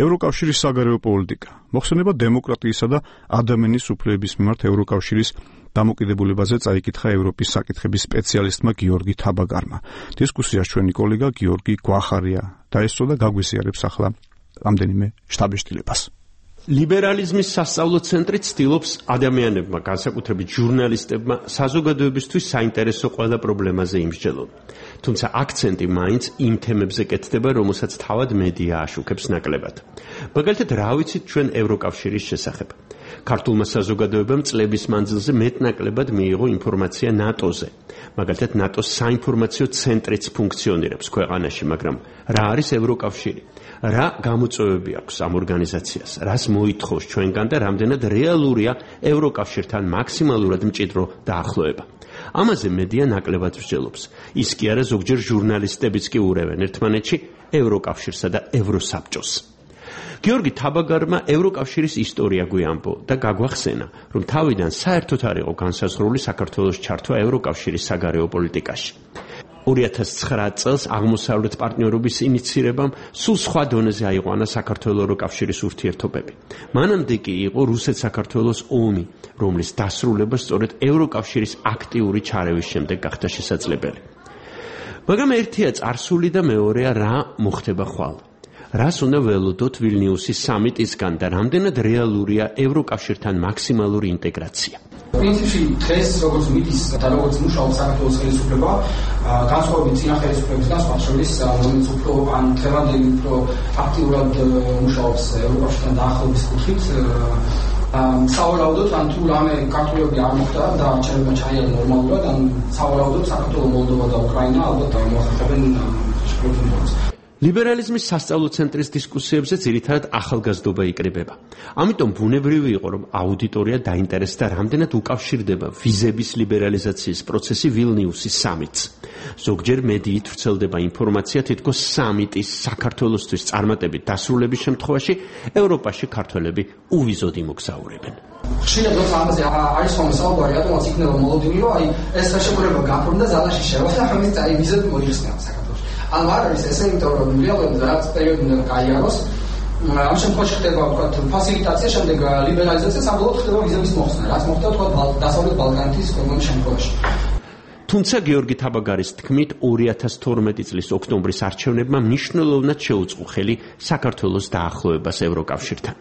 ევროკავშირის საგარეო პოლიტიკა. მოხსენება დემოკრატიისა და ადამიანის უფლებების მიმართ ევროკავშირის დამოკიდებულებაზე წაიკითხა ევროპის საკითხების სპეციალისტმა გიორგი თაბაგარმა. დისკუსიას ჩვენი კოლეგა გიორგი გვახარია დაესწრო და გაგვიზიარებს ახლა რამდენიმე შთაბეჭდილებას. ლიბერალიზმის სასწავლო ცენტრი ცდილობს ადამიანებმა, განსაკუთრებით ჟურნალისტებმა, საზოგადოებისთვის საინტერესო ყველა პრობლემაზე იმსჯელონ. თუმცა აქცენტი მაინც იმ თემებზე კეთდება, რომელსაც თავად მედია აშუქებს ნაკლებად. მაგალითად, რა ვიცით ჩვენ ევროკავშირის შესახებ? ქართულმა საზოგადოებამ წლების მანძილზე მეტნაკლებად მიიღო ინფორმაცია ნატოზე. მაგალითად, ნატოს საინფორმაციო ცენტრიც ფუნქციონირებს ქვეყანაში, მაგრამ რა არის ევროკავშირი? რა გამოწვევები აქვს ამ ორგანიზაციას? რას მოითხოვს ჩვენგან და რამდენად რეალურია ევროკავშირთან მაქსიმალურად მჭიდრო დაახლოება? ამაზე მედია ნაკლებად მსჯელობს. ის კი არა, ზოგჯერ ჟურნალისტებიც კი ურევენ ერთმანეთში ევროკავშირსა და ევროსაბჭოს. გიორგი თაბაგარმა ევროკავშირის ისტორია გვიამბო და გაგვახსენა, რომ თავიდან საერთოდ არ იყო განსაზღვრული საქართველოს ჩართვა ევროკავშირის საგარეო პოლიტიკაში. ორი ათას ცხრა წელს აღმოსავლეთ პარტნიორობის ინიცირებამ სულ სხვა დონეზე აიყვანა საქართველოს-ევროკავშირის ურთიერთობები. მანამდე კი იყო რუსეთ-საქართველოს ომი, რომლის დასრულება სწორედ ევროკავშირის აქტიური ჩარევის შემდეგ გახდა შესაძლებელი. მაგრამ ერთია წარსული და მეორეა რა მოხდება ხვალ. რას უნდა ველოდოთ ვილნიუსის სამიტისგან და რამდენად რეალურია ევროკავშირთან მაქსიმალური ინტეგრაცია? პრინციპში დღეს როგორც მიდის და როგორც მუშაობს საქართველოს ხელისუფლება, განსხვავებით წინა ხელისუფლებისგან სხვა შორის, რომელიც უფრო ან დღევანდელი უფრო აქტიურად მუშაობს ევროკავშირთან დაახლოების კუთხით, სავარაუდოდ ან თუ რამე კარტულები არ მოხდა და არჩევნებმა ჩაიარა ნორმალურად, ან სავარაუდოდ საქართველო, მოლდოვა და უკრაინა ალბათ მოახერხებენ შეფრთხილებას. ლიბერალიზმის სასწავლო ცენტრის დისკუსიებზე ძირითადად ახალგაზრდობა იკრიბება. ამიტომ ბუნებრივი იყო, რომ აუდიტორია დაინტერესდა, რამდენად უკავშირდება ვიზების ლიბერალიზაციის პროცესი ვილნიუსის სამიტს. ზოგჯერ მედიით ვრცელდება ინფორმაცია, თითქოს სამიტის საქართველოსთვის წარმატებით დასრულების შემთხვევაში ევროპაში ქართველები უვიზოდ იმოგზაურებენ. ხშირად როცა ამაზე არის ხოლმე საუბარი, რატომაც იქნება მოლოდინი, რომ აი ეს ხელშეკრულება გაფორმდა ზალაში შევა და ამის აი ვიზები მოიხსნა საქართველოში. ანუ არ არის ესე, იმიტომ რომ რეალურად რაც პერიოდი უნდა გაიაროს, ამ შემთხვევაში ხდება ვთქვათ ფასილიტაცია, შემდეგ ლიბერალიზაცია, საბოლოოდ ხდება ვიზების მოხსნა, რაც მოხდა ვთქვათ დასავლეთ ბალკანეთის ქვეყნების შემთხვევაში. თუმცა გიორგი თაბაგარის თქმით, ორი ათას თორმეტი წლის ოქტომბრის არჩევნებმა მნიშვნელოვნად შეუწყო ხელი საქართველოს დაახლოებას ევროკავშირთან.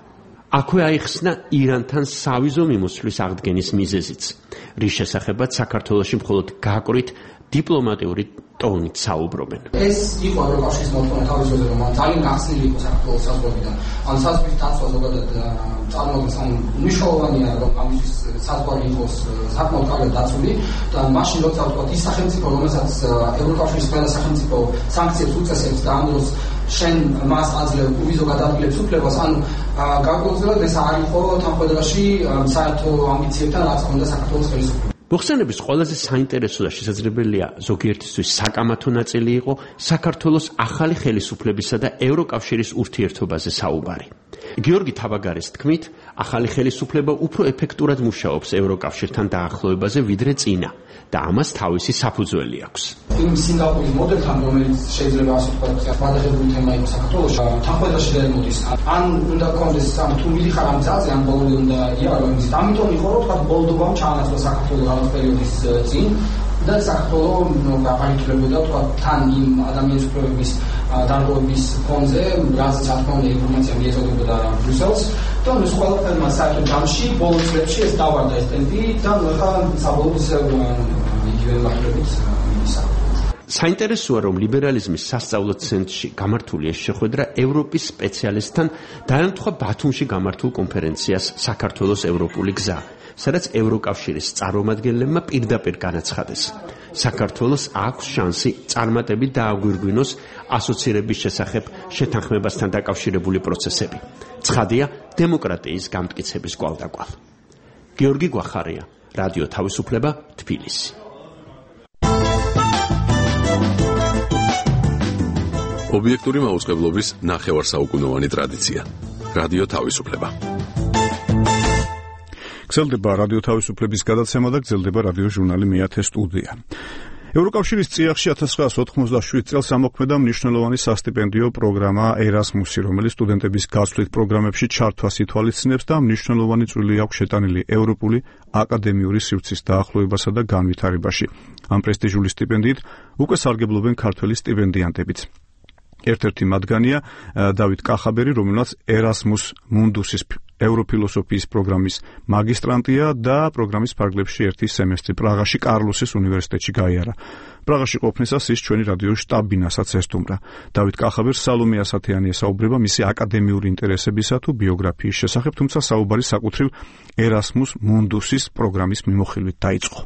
აქვე აიხსნა ირანთან სავიზო მიმოსვლის აღდგენის მიზეზიც, რის შესახებაც საქართველოში მხოლოდ გაკვირით დიპლომატიური ტონით საუბრობენ. ეს იყო ევროკავშირის მოთხოვნა თავის დროზე, რომ ძალიან გახსნილი იყო საქართველოს საზღვრებიდან. ან საზღვრის დაცვა ზოგადად წარმოადგენს, ან მნიშვნელოვანია, რომ ამისთვის საზღვარი იყოს საკმაოდ კარგად დაცული და მაშინ როცა ვთქვათ ის სახელმწიფო, რომელსაც ევროკავშირის ყველა სახელმწიფო სანქციებს უწესებს და ამ დროს შენ მას აძლევ უვიზო გადაადგილებს უფლებას, ანუ გარკვეულწილად ეს არ იყო თანხმობაში საერთო ამბიციებთან, რაც ჰქონდა საქართველოს ხელისუფლებას. მოხსენების ყველაზე საინტერესო და შესაძლებელია ზოგიერთისთვის საკამათო ნაწილი იყო საქართველოს ახალი ხელისუფლებისა და ევროკავშირის ურთიერთობაზე საუბარი. გიორგი თაბაგარის თქმით, ახალი ხელისუფლება უფრო ეფექტურად მუშაობს ევროკავშირთან დაახლოებაზე ვიდრე წინა და ამას თავისი საფუძველი აქვს. იმ სინგაპურის მოდელთან, რომელიც შეიძლება ასე ვთქვათ, გადაღებული თემა იყო საქართველოში, თანხმობაში დაემოდის. ან უნდა გქონდეს ამ თუ მიდიხარ ამ ძალზე, ან ბოლომდე უნდა იარო იმის. ამიტომ იყო რომ ვთქვათ ბოლდობამ ჩაანაცვლა საქართველოს რაღაც პერიოდის წინ და საქართველოს აღარითლებოდა ვთქვათ თან იმ ადამიანის უფლებების დარღვევების ფონზე, რაზეც რა თქმა უნდა ინფორმაცია მიეწოდებოდა ბრიუსელს და ეს ყველაფერმა საერთო ჯამში ბოლო წლებში ეს დავარდა ეს ტემპი და ახლა საბოლოოდ იგივე მართლებით მისა. საინტერესოა, რომ ლიბერალიზმის სასწავლო ცენტრში გამართული ეს შეხვედრა ევროპის სპეციალისტთან დაემთხვა ბათუმში გამართულ კონფერენციას საქართველოს ევროპული გზა, სადაც ევროკავშირის წარმომადგენლებმა პირდაპირ განაცხადეს. საქართველოს აქვს შანსი წარმატებით დააგვირგვინოს ასოცირების შესახებ შეთანხმებასთან დაკავშირებული პროცესები. ცხადია დემოკრატიის გამტკიცების კვალდაკვალ. გიორგი გვახარია, რადიო თავისუფლება, თბილისი. ობიექტური მაუწყებლობის ნახევარსაუკუნოვანი ტრადიცია. რადიო თავისუფლება. გრძელდება რადიო თავისუფლების გადაცემა და გრძელდება რადიო ჟურნალი მეათე სტუდია. ევროკავშირის წიაღში ათას ცხრაას ოთხმოცდაშვიდ წელს ამოქმედა მნიშვნელოვანი სასტიპენდიო პროგრამა ერასმუსი, რომელიც სტუდენტების გაცვლით პროგრამებში ჩართვას ითვალისწინებს და მნიშვნელოვანი წვლილი აქვს შეტანილი ევროპული აკადემიური სივრცის დაახლოებასა და განვითარებაში. ამ პრესტიჟული სტიპენდიით უკვე სარგებლობენ ქართველი სტიპენდიანტებიც. ერთ-ერთი მათგანია დავით კახაბერი, რომელსაც ერასმუს მუნდუსის ევროფილოსოფიის პროგრამის მაგისტრანტია და პროგრამის ფარგლებში ერთი სემესტრი პრაღაში კარლოსის უნივერსიტეტში გაიარა. პრაღაში ყოფნისას ის ჩვენი რადიოს შტაბ-ბინასაც ესტუმრა. დავით კახაბერს სალომე ასათიანი ესაუბრება მისი აკადემიური ინტერესებისა თუ ბიოგრაფიის შესახებ, თუმცა საუბარი საკუთრივ ერასმუს მუნდუსის პროგრამის მიმოხილვით დაიწყო.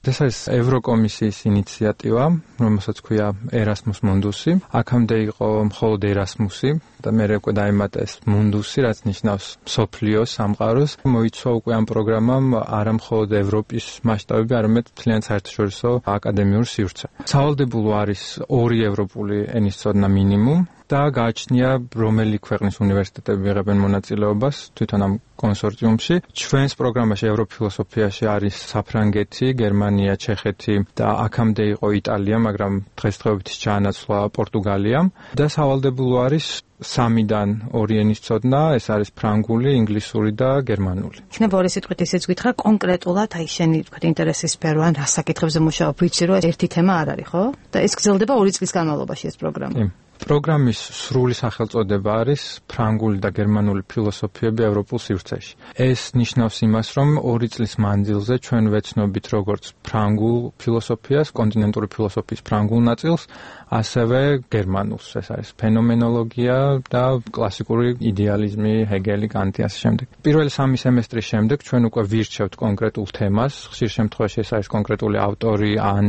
ეს არის ევროკომისიის ინიციატივა, რომელსაც ქვია ერასმუს მუნდუსი. აქამდე იყო მხოლოდ ერასმუსი და მე უკვე დაემატა ეს მუნდუსი, რაც ნიშნავს მსოფლიოს სამყაროს. მოიცვა უკვე ამ პროგრამამ არა მხოლოდ ევროპის მასშტაბები, არამედ მთლიან საერთაშორისო აკადემიურ სივრცე. სავალდებულო არის ორი ევროპული ენის ცოდნა მინიმუმ და გააჩნია რომელი ქვეყნის უნივერსიტეტები იღებენ მონაწილეობას თვითონ ამ კონსორციუმში. ჩვენს პროგრამაში ევროფილოსოფიაში არის საფრანგეთი, გერმანია, ჩეხეთი და აქამდე იყო იტალია, მაგრამ დღესდღეობით ჩაანაცვლა პორტუგალიამ და სავალდებულო არის სამიდან ორი ენის ცოდნა, ეს არის ფრანგული, ინგლისური და გერმანული. იქნება ორი სიტყვით ისიც გითხრა კონკრეტულად, აი შენი თქვა ინტერესის სფერო ან რა საკითხებზე მუშაობ, ვიცი რომ ერთი თემა არ არის, ხო? და ეს გრძელდება ორი წლის განმავლობაში ეს პროგრამა. პროგრამის სრული სახელწოდება არის ფრანგული და გერმანული ფილოსოფიები ევროპულ სივრცეში. ეს ნიშნავს იმას, რომ ორი წლის მანძილზე ჩვენ ვეცნობით როგორც ფრანგულ ფილოსოფიას, კონტინენტური ფილოსოფიის ფრანგულ ნაწილს, ასევე გერმანულს. ეს არის ფენომენოლოგია და კლასიკური იდეალიზმი, ჰეგელი, კანტი ასე შემდეგ. პირველი სამი სემესტრის შემდეგ ჩვენ უკვე ვირჩევთ კონკრეტულ თემას, ხშირ შემთხვევაში ეს არის კონკრეტული ავტორი ან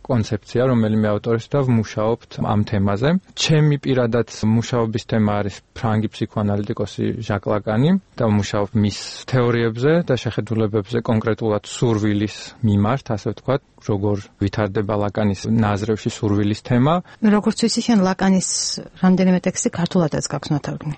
კონცეფცია, რომელიმე ავტორის და ვმუშაობთ ამ თემაზე. ჩემი პირადად მუშაობის თემა არის ფრანგი ფსიქოანალიტიკოსი ჟაკ ლაკანი და მუშაობ მის თეორიებზე და შეხედულებებზე კონკრეტულად სურვილის მიმართ, ასე ვთქვათ, როგორ ვითარდება ლაკანის ნაზრევში სურვილის თემა. როგორც ვიცი, შენ ლაკანის რამდენიმე ტექსტი ქართულადაც გაქვს ნათარგმნი.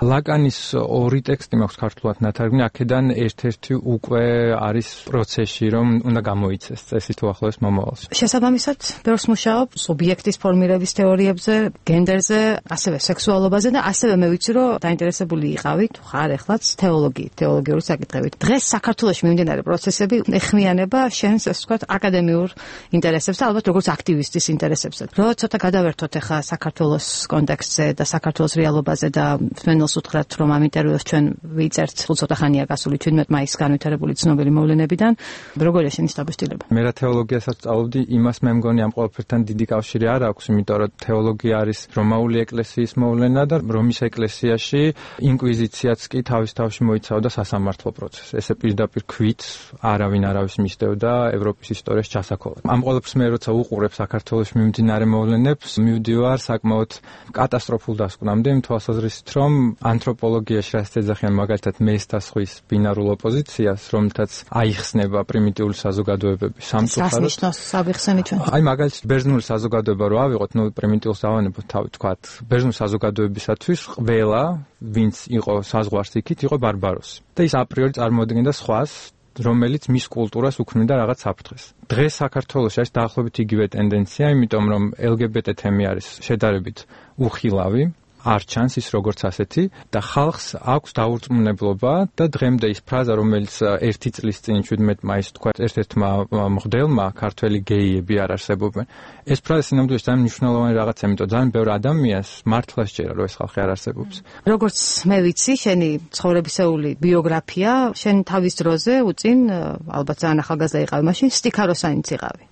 ლაკანის ორი ტექსტი მაქვს ქართულად ნათარგმნი, აქედან ერთ-ერთი უკვე არის პროცესში, რომ უნდა გამოიცეს წესი თუ ახლოს მომავალში. შესაბამისად, ბევრს მუშაობ სუბიექტის ფორმირების თეორიებზე, გენდერზე, ასევე სექსუალობაზე და ასევე მე ვიცი, რომ დაინტერესებული იყავი, თუ ხარ ეხლაც თეოლოგიით, თეოლოგიური საკითხებით. დღეს საქართველოში მიმდინარე პროცესები ეხმიანება შენს, ასე ვთქვათ, აკადემიურ ინტერესებს და ალბათ როგორც აქტივისტის ინტერესებს. რო ცოტა გადავერთოთ ახლა საქართველოს კონტექსტზე და საქართველოს რეალობაზე და თმენელს უთხრათ, რომ ამ ინტერვიუს ჩვენ ვიწერთ ცოტა ხანია გასული თერთმეტ მაისს განვითარებული ცნობილი მოვლენებიდან. როგორია შენის დაბეჭდილება? მე რა თეოლოგიასაც სწავლობდი, იმას მე მგონი ამ ყველაფერთან დიდი კავშირი არ აქვს, იმიტომ რომ თეოლოგია არის რომაული ეკლესიის მოვლენა და რომის ეკლესიაში ინკვიზიციაც კი თავის თავში მოიცავდა სასამართლო პროცესს. ესე პირდაპირ ქვით არავინ არავის მისდევდა ევროპის ისტორიის ჩასაქოლად. ამ ყველაფერს მე როცა უყურებ საქართველოში მიმდინარე მოვლენებს, მივდივარ საკმაოდ კატასტროფულ დასკვნამდე იმ თვალსაზრისით, რომ ანთროპოლოგიაში რაც ეძახიან მაგალითად მესტასხვის ბინარულ ოპოზიციას, რომელთაც აიხსნება პრიმიტიული საზოგადოებები სამწუხაროდ. რას ნიშნავს საბიხსენი ჩვენ? აი მაგალითად ბერძნული საზოგადოება რო ავიღოთ, ნუ პრიმიტიულს ავანებოთ თავი თქვათ. ბერძნული საზოგადოებისათვის ყველა, ვინც იყო საზღვარს იქით, იყო ბარბაროსი. და ის აპრიორი წარმოადგენდა სხვას, რომელიც მის კულტურას უქმნიდა რაღაც საფრთხეს. დღეს საქართველოში არის დაახლოებით იგივე ტენდენცია, იმიტომ რომ ელ გი ბი ტი თემი არის შედარებით უხილავი, არ ჩანს ის როგორც ასეთი და ხალხს აქვს დაურწმუნებლობა და დღემდე ის ფრაზა, რომელიც ერთი წლის წინ თერთმეტ მაისს თქვა ერთ-ერთმა მღვდელმა, ქართველი გეიები არ არსებობენ. ეს ფრაზა სინამდვილეში ძალიან მნიშვნელოვანი რაღაცა, იმიტომ ძალიან ბევრ ადამიანს მართლა სჯერა, რომ ეს ხალხი არ არსებობს. როგორც მე ვიცი, შენი ცხოვრებისეული ბიოგრაფია, შენ თავის დროზე უწინ, ალბათ ძალიან ახალგაზრდა იყავი მაშინ, სტიქაროსანიც იყავი.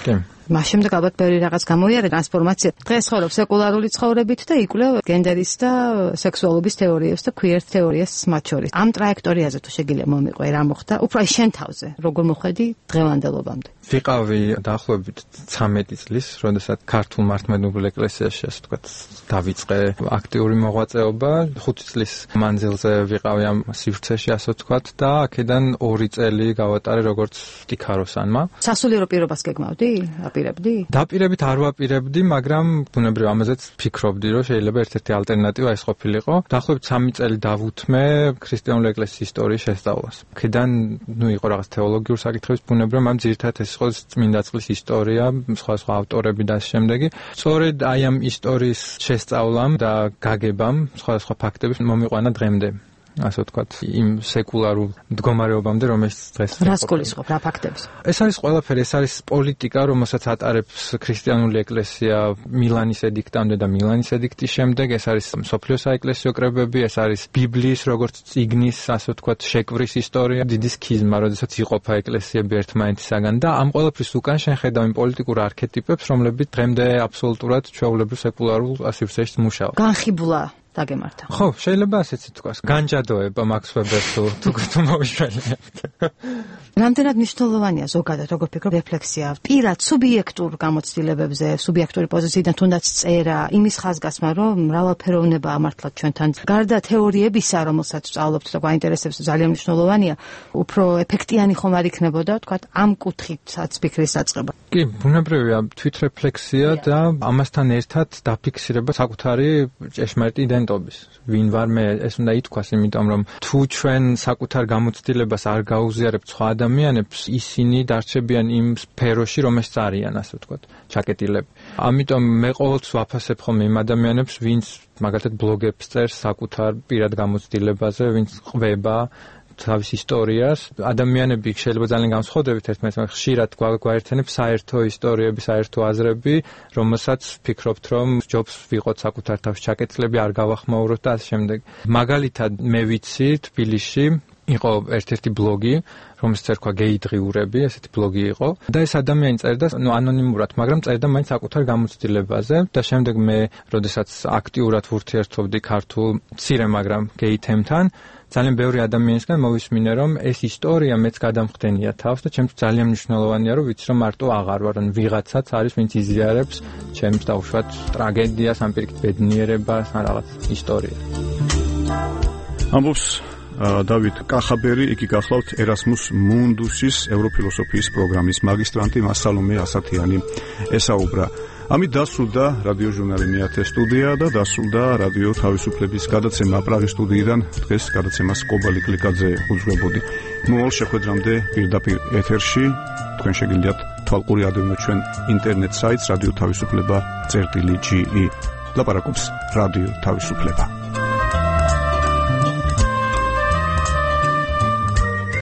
კი. მას შემდეგ ალბათ ბევრი რაღაც გამოიარე ტრანსფორმაცია. დღეს ცხოვრობ სეკულარული ცხოვრებით და იკვლევ გენდერის და სექსუალობის თეორიებს და queer თეორიას მათ შორის. ამ ტრაექტორიაზე თუ შეგიძლია მომიყვე, რა მოხდა? უფრო შენ თავზე, როგორ მოხედი დღევანდელობამდე? ვიყავი დაახლოებით ცამეტი წლის, როდესაც ქართულ მართლმადიდებლურ ეკლესიაში, ასე ვთქვათ, დავიწყე აქტიური მოღვაწეობა. ხუთი წლის მანძილზე ვიყავი ამ სივრცეში, ასე ვთქვათ, და აქედან ორი წელი გავატარე როგორც სტიქაროსანმა. სასულიერო პირობას გეგმავდი? აპირებდი? დაპირებით არ ვაპირებდი, მაგრამ ბუნებრივ ამაზეც ფიქრობდი, რომ შეიძლება ერთ-ერთი ალტერნატივა ეს ყოფილიყო. დაახლოებით სამი წელი დავუთმე ქრისტიანული ეკლესიის ისტორიის შესწავლას. აქედან, ნუ იყო რაღაც თეოლოგიური საკითხების ბუნებრივ, მაგრამ ძირითადად ეს იყო წმინდა წყლის ისტორია, სხვადასხვა ავტორები და ამ შემდეგი. სწორედ აი ამ ისტორიის შესწავლამ და გაგებამ სხვადასხვა ფაქტების მომიყვანა დღემდე. ასე ვთქვათ, იმ სეკულარულ მდგომარეობამდე, რომელშიც დღეს რას გულისხმობ, რა ფაქტებს? ეს არის ყველაფერი, ეს არის პოლიტიკა, რომელსაც ატარებს ქრისტიანული ეკლესია მილანის ედიქტამდე და მილანის ედიქტის შემდეგ, ეს არის მსოფლიო საეკლესიო კრებები, ეს არის ბიბლიის როგორც წიგნის, ასე ვთქვათ, შეკვრის ისტორია, დიდი სქიზმა, როდესაც იყოფა ეკლესიები ერთმანეთისაგან და ამ ყველაფრის უკან შენ ხედავ იმ პოლიტიკურ არქეტიპებს, რომლებიც დღემდე აბსოლუტურად ჩვეულებრივ სეკულარულ სივრცეში მუშაობენ. განხიბლა დაგემართა. ხო, შეიძლება ასეც ითქვას. განჯადოება მაქს ვებერს თუ თუ მოვიშველებთ. რამდენად მნიშვნელოვანია ზოგადად, როგორ ფიქრობ, რეფლექსია, პირად სუბიექტურ გამოცდილებებზე, სუბიექტური პოზიციიდან თუნდაც წერა, იმის ხაზგასმა, რომ მრავალფეროვნება ამართლად ჩვენთან. გარდა თეორიებისა, რომელსაც ვსწავლობთ და გვაინტერესებს, ძალიან მნიშვნელოვანია, უფრო ეფექტიანი ხომ არ იქნებოდა, თქვათ, ამ კუთხითაც ფიქრის დაწყება. კი, ბუნებრივია თვითრეფლექსია და ამასთან ერთად დაფიქსირება საკუთარი ჭეშმარიტი იდენტობის. ვინ ვარ მე, ეს უნდა ითქვას, იმიტომ რომ თუ ჩვენ საკუთარ გამოცდილებას არ გაუზიარებთ სხვა ადამიანებს, ისინი დარჩებიან იმ სფეროში, რომელშიც არიან, ასე ვთქვათ, ჩაკეტილები. ამიტომ მე ყოველთვის ვაფასებ ხოლმე იმ ადამიანებს, ვინც მაგალითად ბლოგებს წერს საკუთარ პირად გამოცდილებაზე, ვინც ყვება თავის ისტორიას. ადამიანები შეიძლება ძალიან განსხვავდებით ერთმანეთთან, ხშირად გვაერთიანებს საერთო ისტორიები, საერთო აზრები, რომელსაც ფიქრობთ, რომ ჯობს ვიყოთ საკუთარ თავში ჩაკეტილები, არ გავახმაუროთ და ასე შემდეგ. მაგალითად, მე ვიცი თბილისში იყო ერთ-ერთი ბლოგი, რომელსაც ერქვა გეი დღიურები, ესეთი ბლოგი იყო და ეს ადამიანი წერდა, ну, ანონიმურად, მაგრამ წერდა მაინც საკუთარ გამოცდილებაზე და შემდეგ მე, როდესაც აქტიურად ვურთიერთობდი ქართულ მცირე, მაგრამ გეი თემთან, ძალიან ბევრი ადამიანისგან მოვისმინე, რომ ეს ისტორია მეც გადამხდენია თავს და ჩემთვის ძალიან მნიშვნელოვანია, რომ ვიცი, რომ მარტო აღარ ვარ, ან ვიღაცაც არის, ვინც იზიარებს ჩემს დაუშვათ ტრაგედიას, ან პირიქით ბედნიერებას, ან რაღაც ისტორიას. ამბობს დავით კახაბერი, იგი გახლავთ ერასმუს მუნდუსის ევროფილოსოფიის პროგრამის მაგისტრანტი, მას სალომე ასათიანი ესაუბრა. ამით დასრულდა რადიო ჟურნალი მეათე სტუდია და დასრულდა რადიო თავისუფლების გადაცემა პრაღის სტუდიიდან. დღეს გადაცემას კობალი კლიკაძე უძღვებოდი. მოვალ შეხვედრამდე პირდაპირ ეთერში თქვენ შეგიძლიათ თვალყური ადევნოთ ჩვენ ინტერნეტ საიტს რადიო თავისუფლება წერტილი ჯი ი. ლაპარაკობს რადიო თავისუფლება.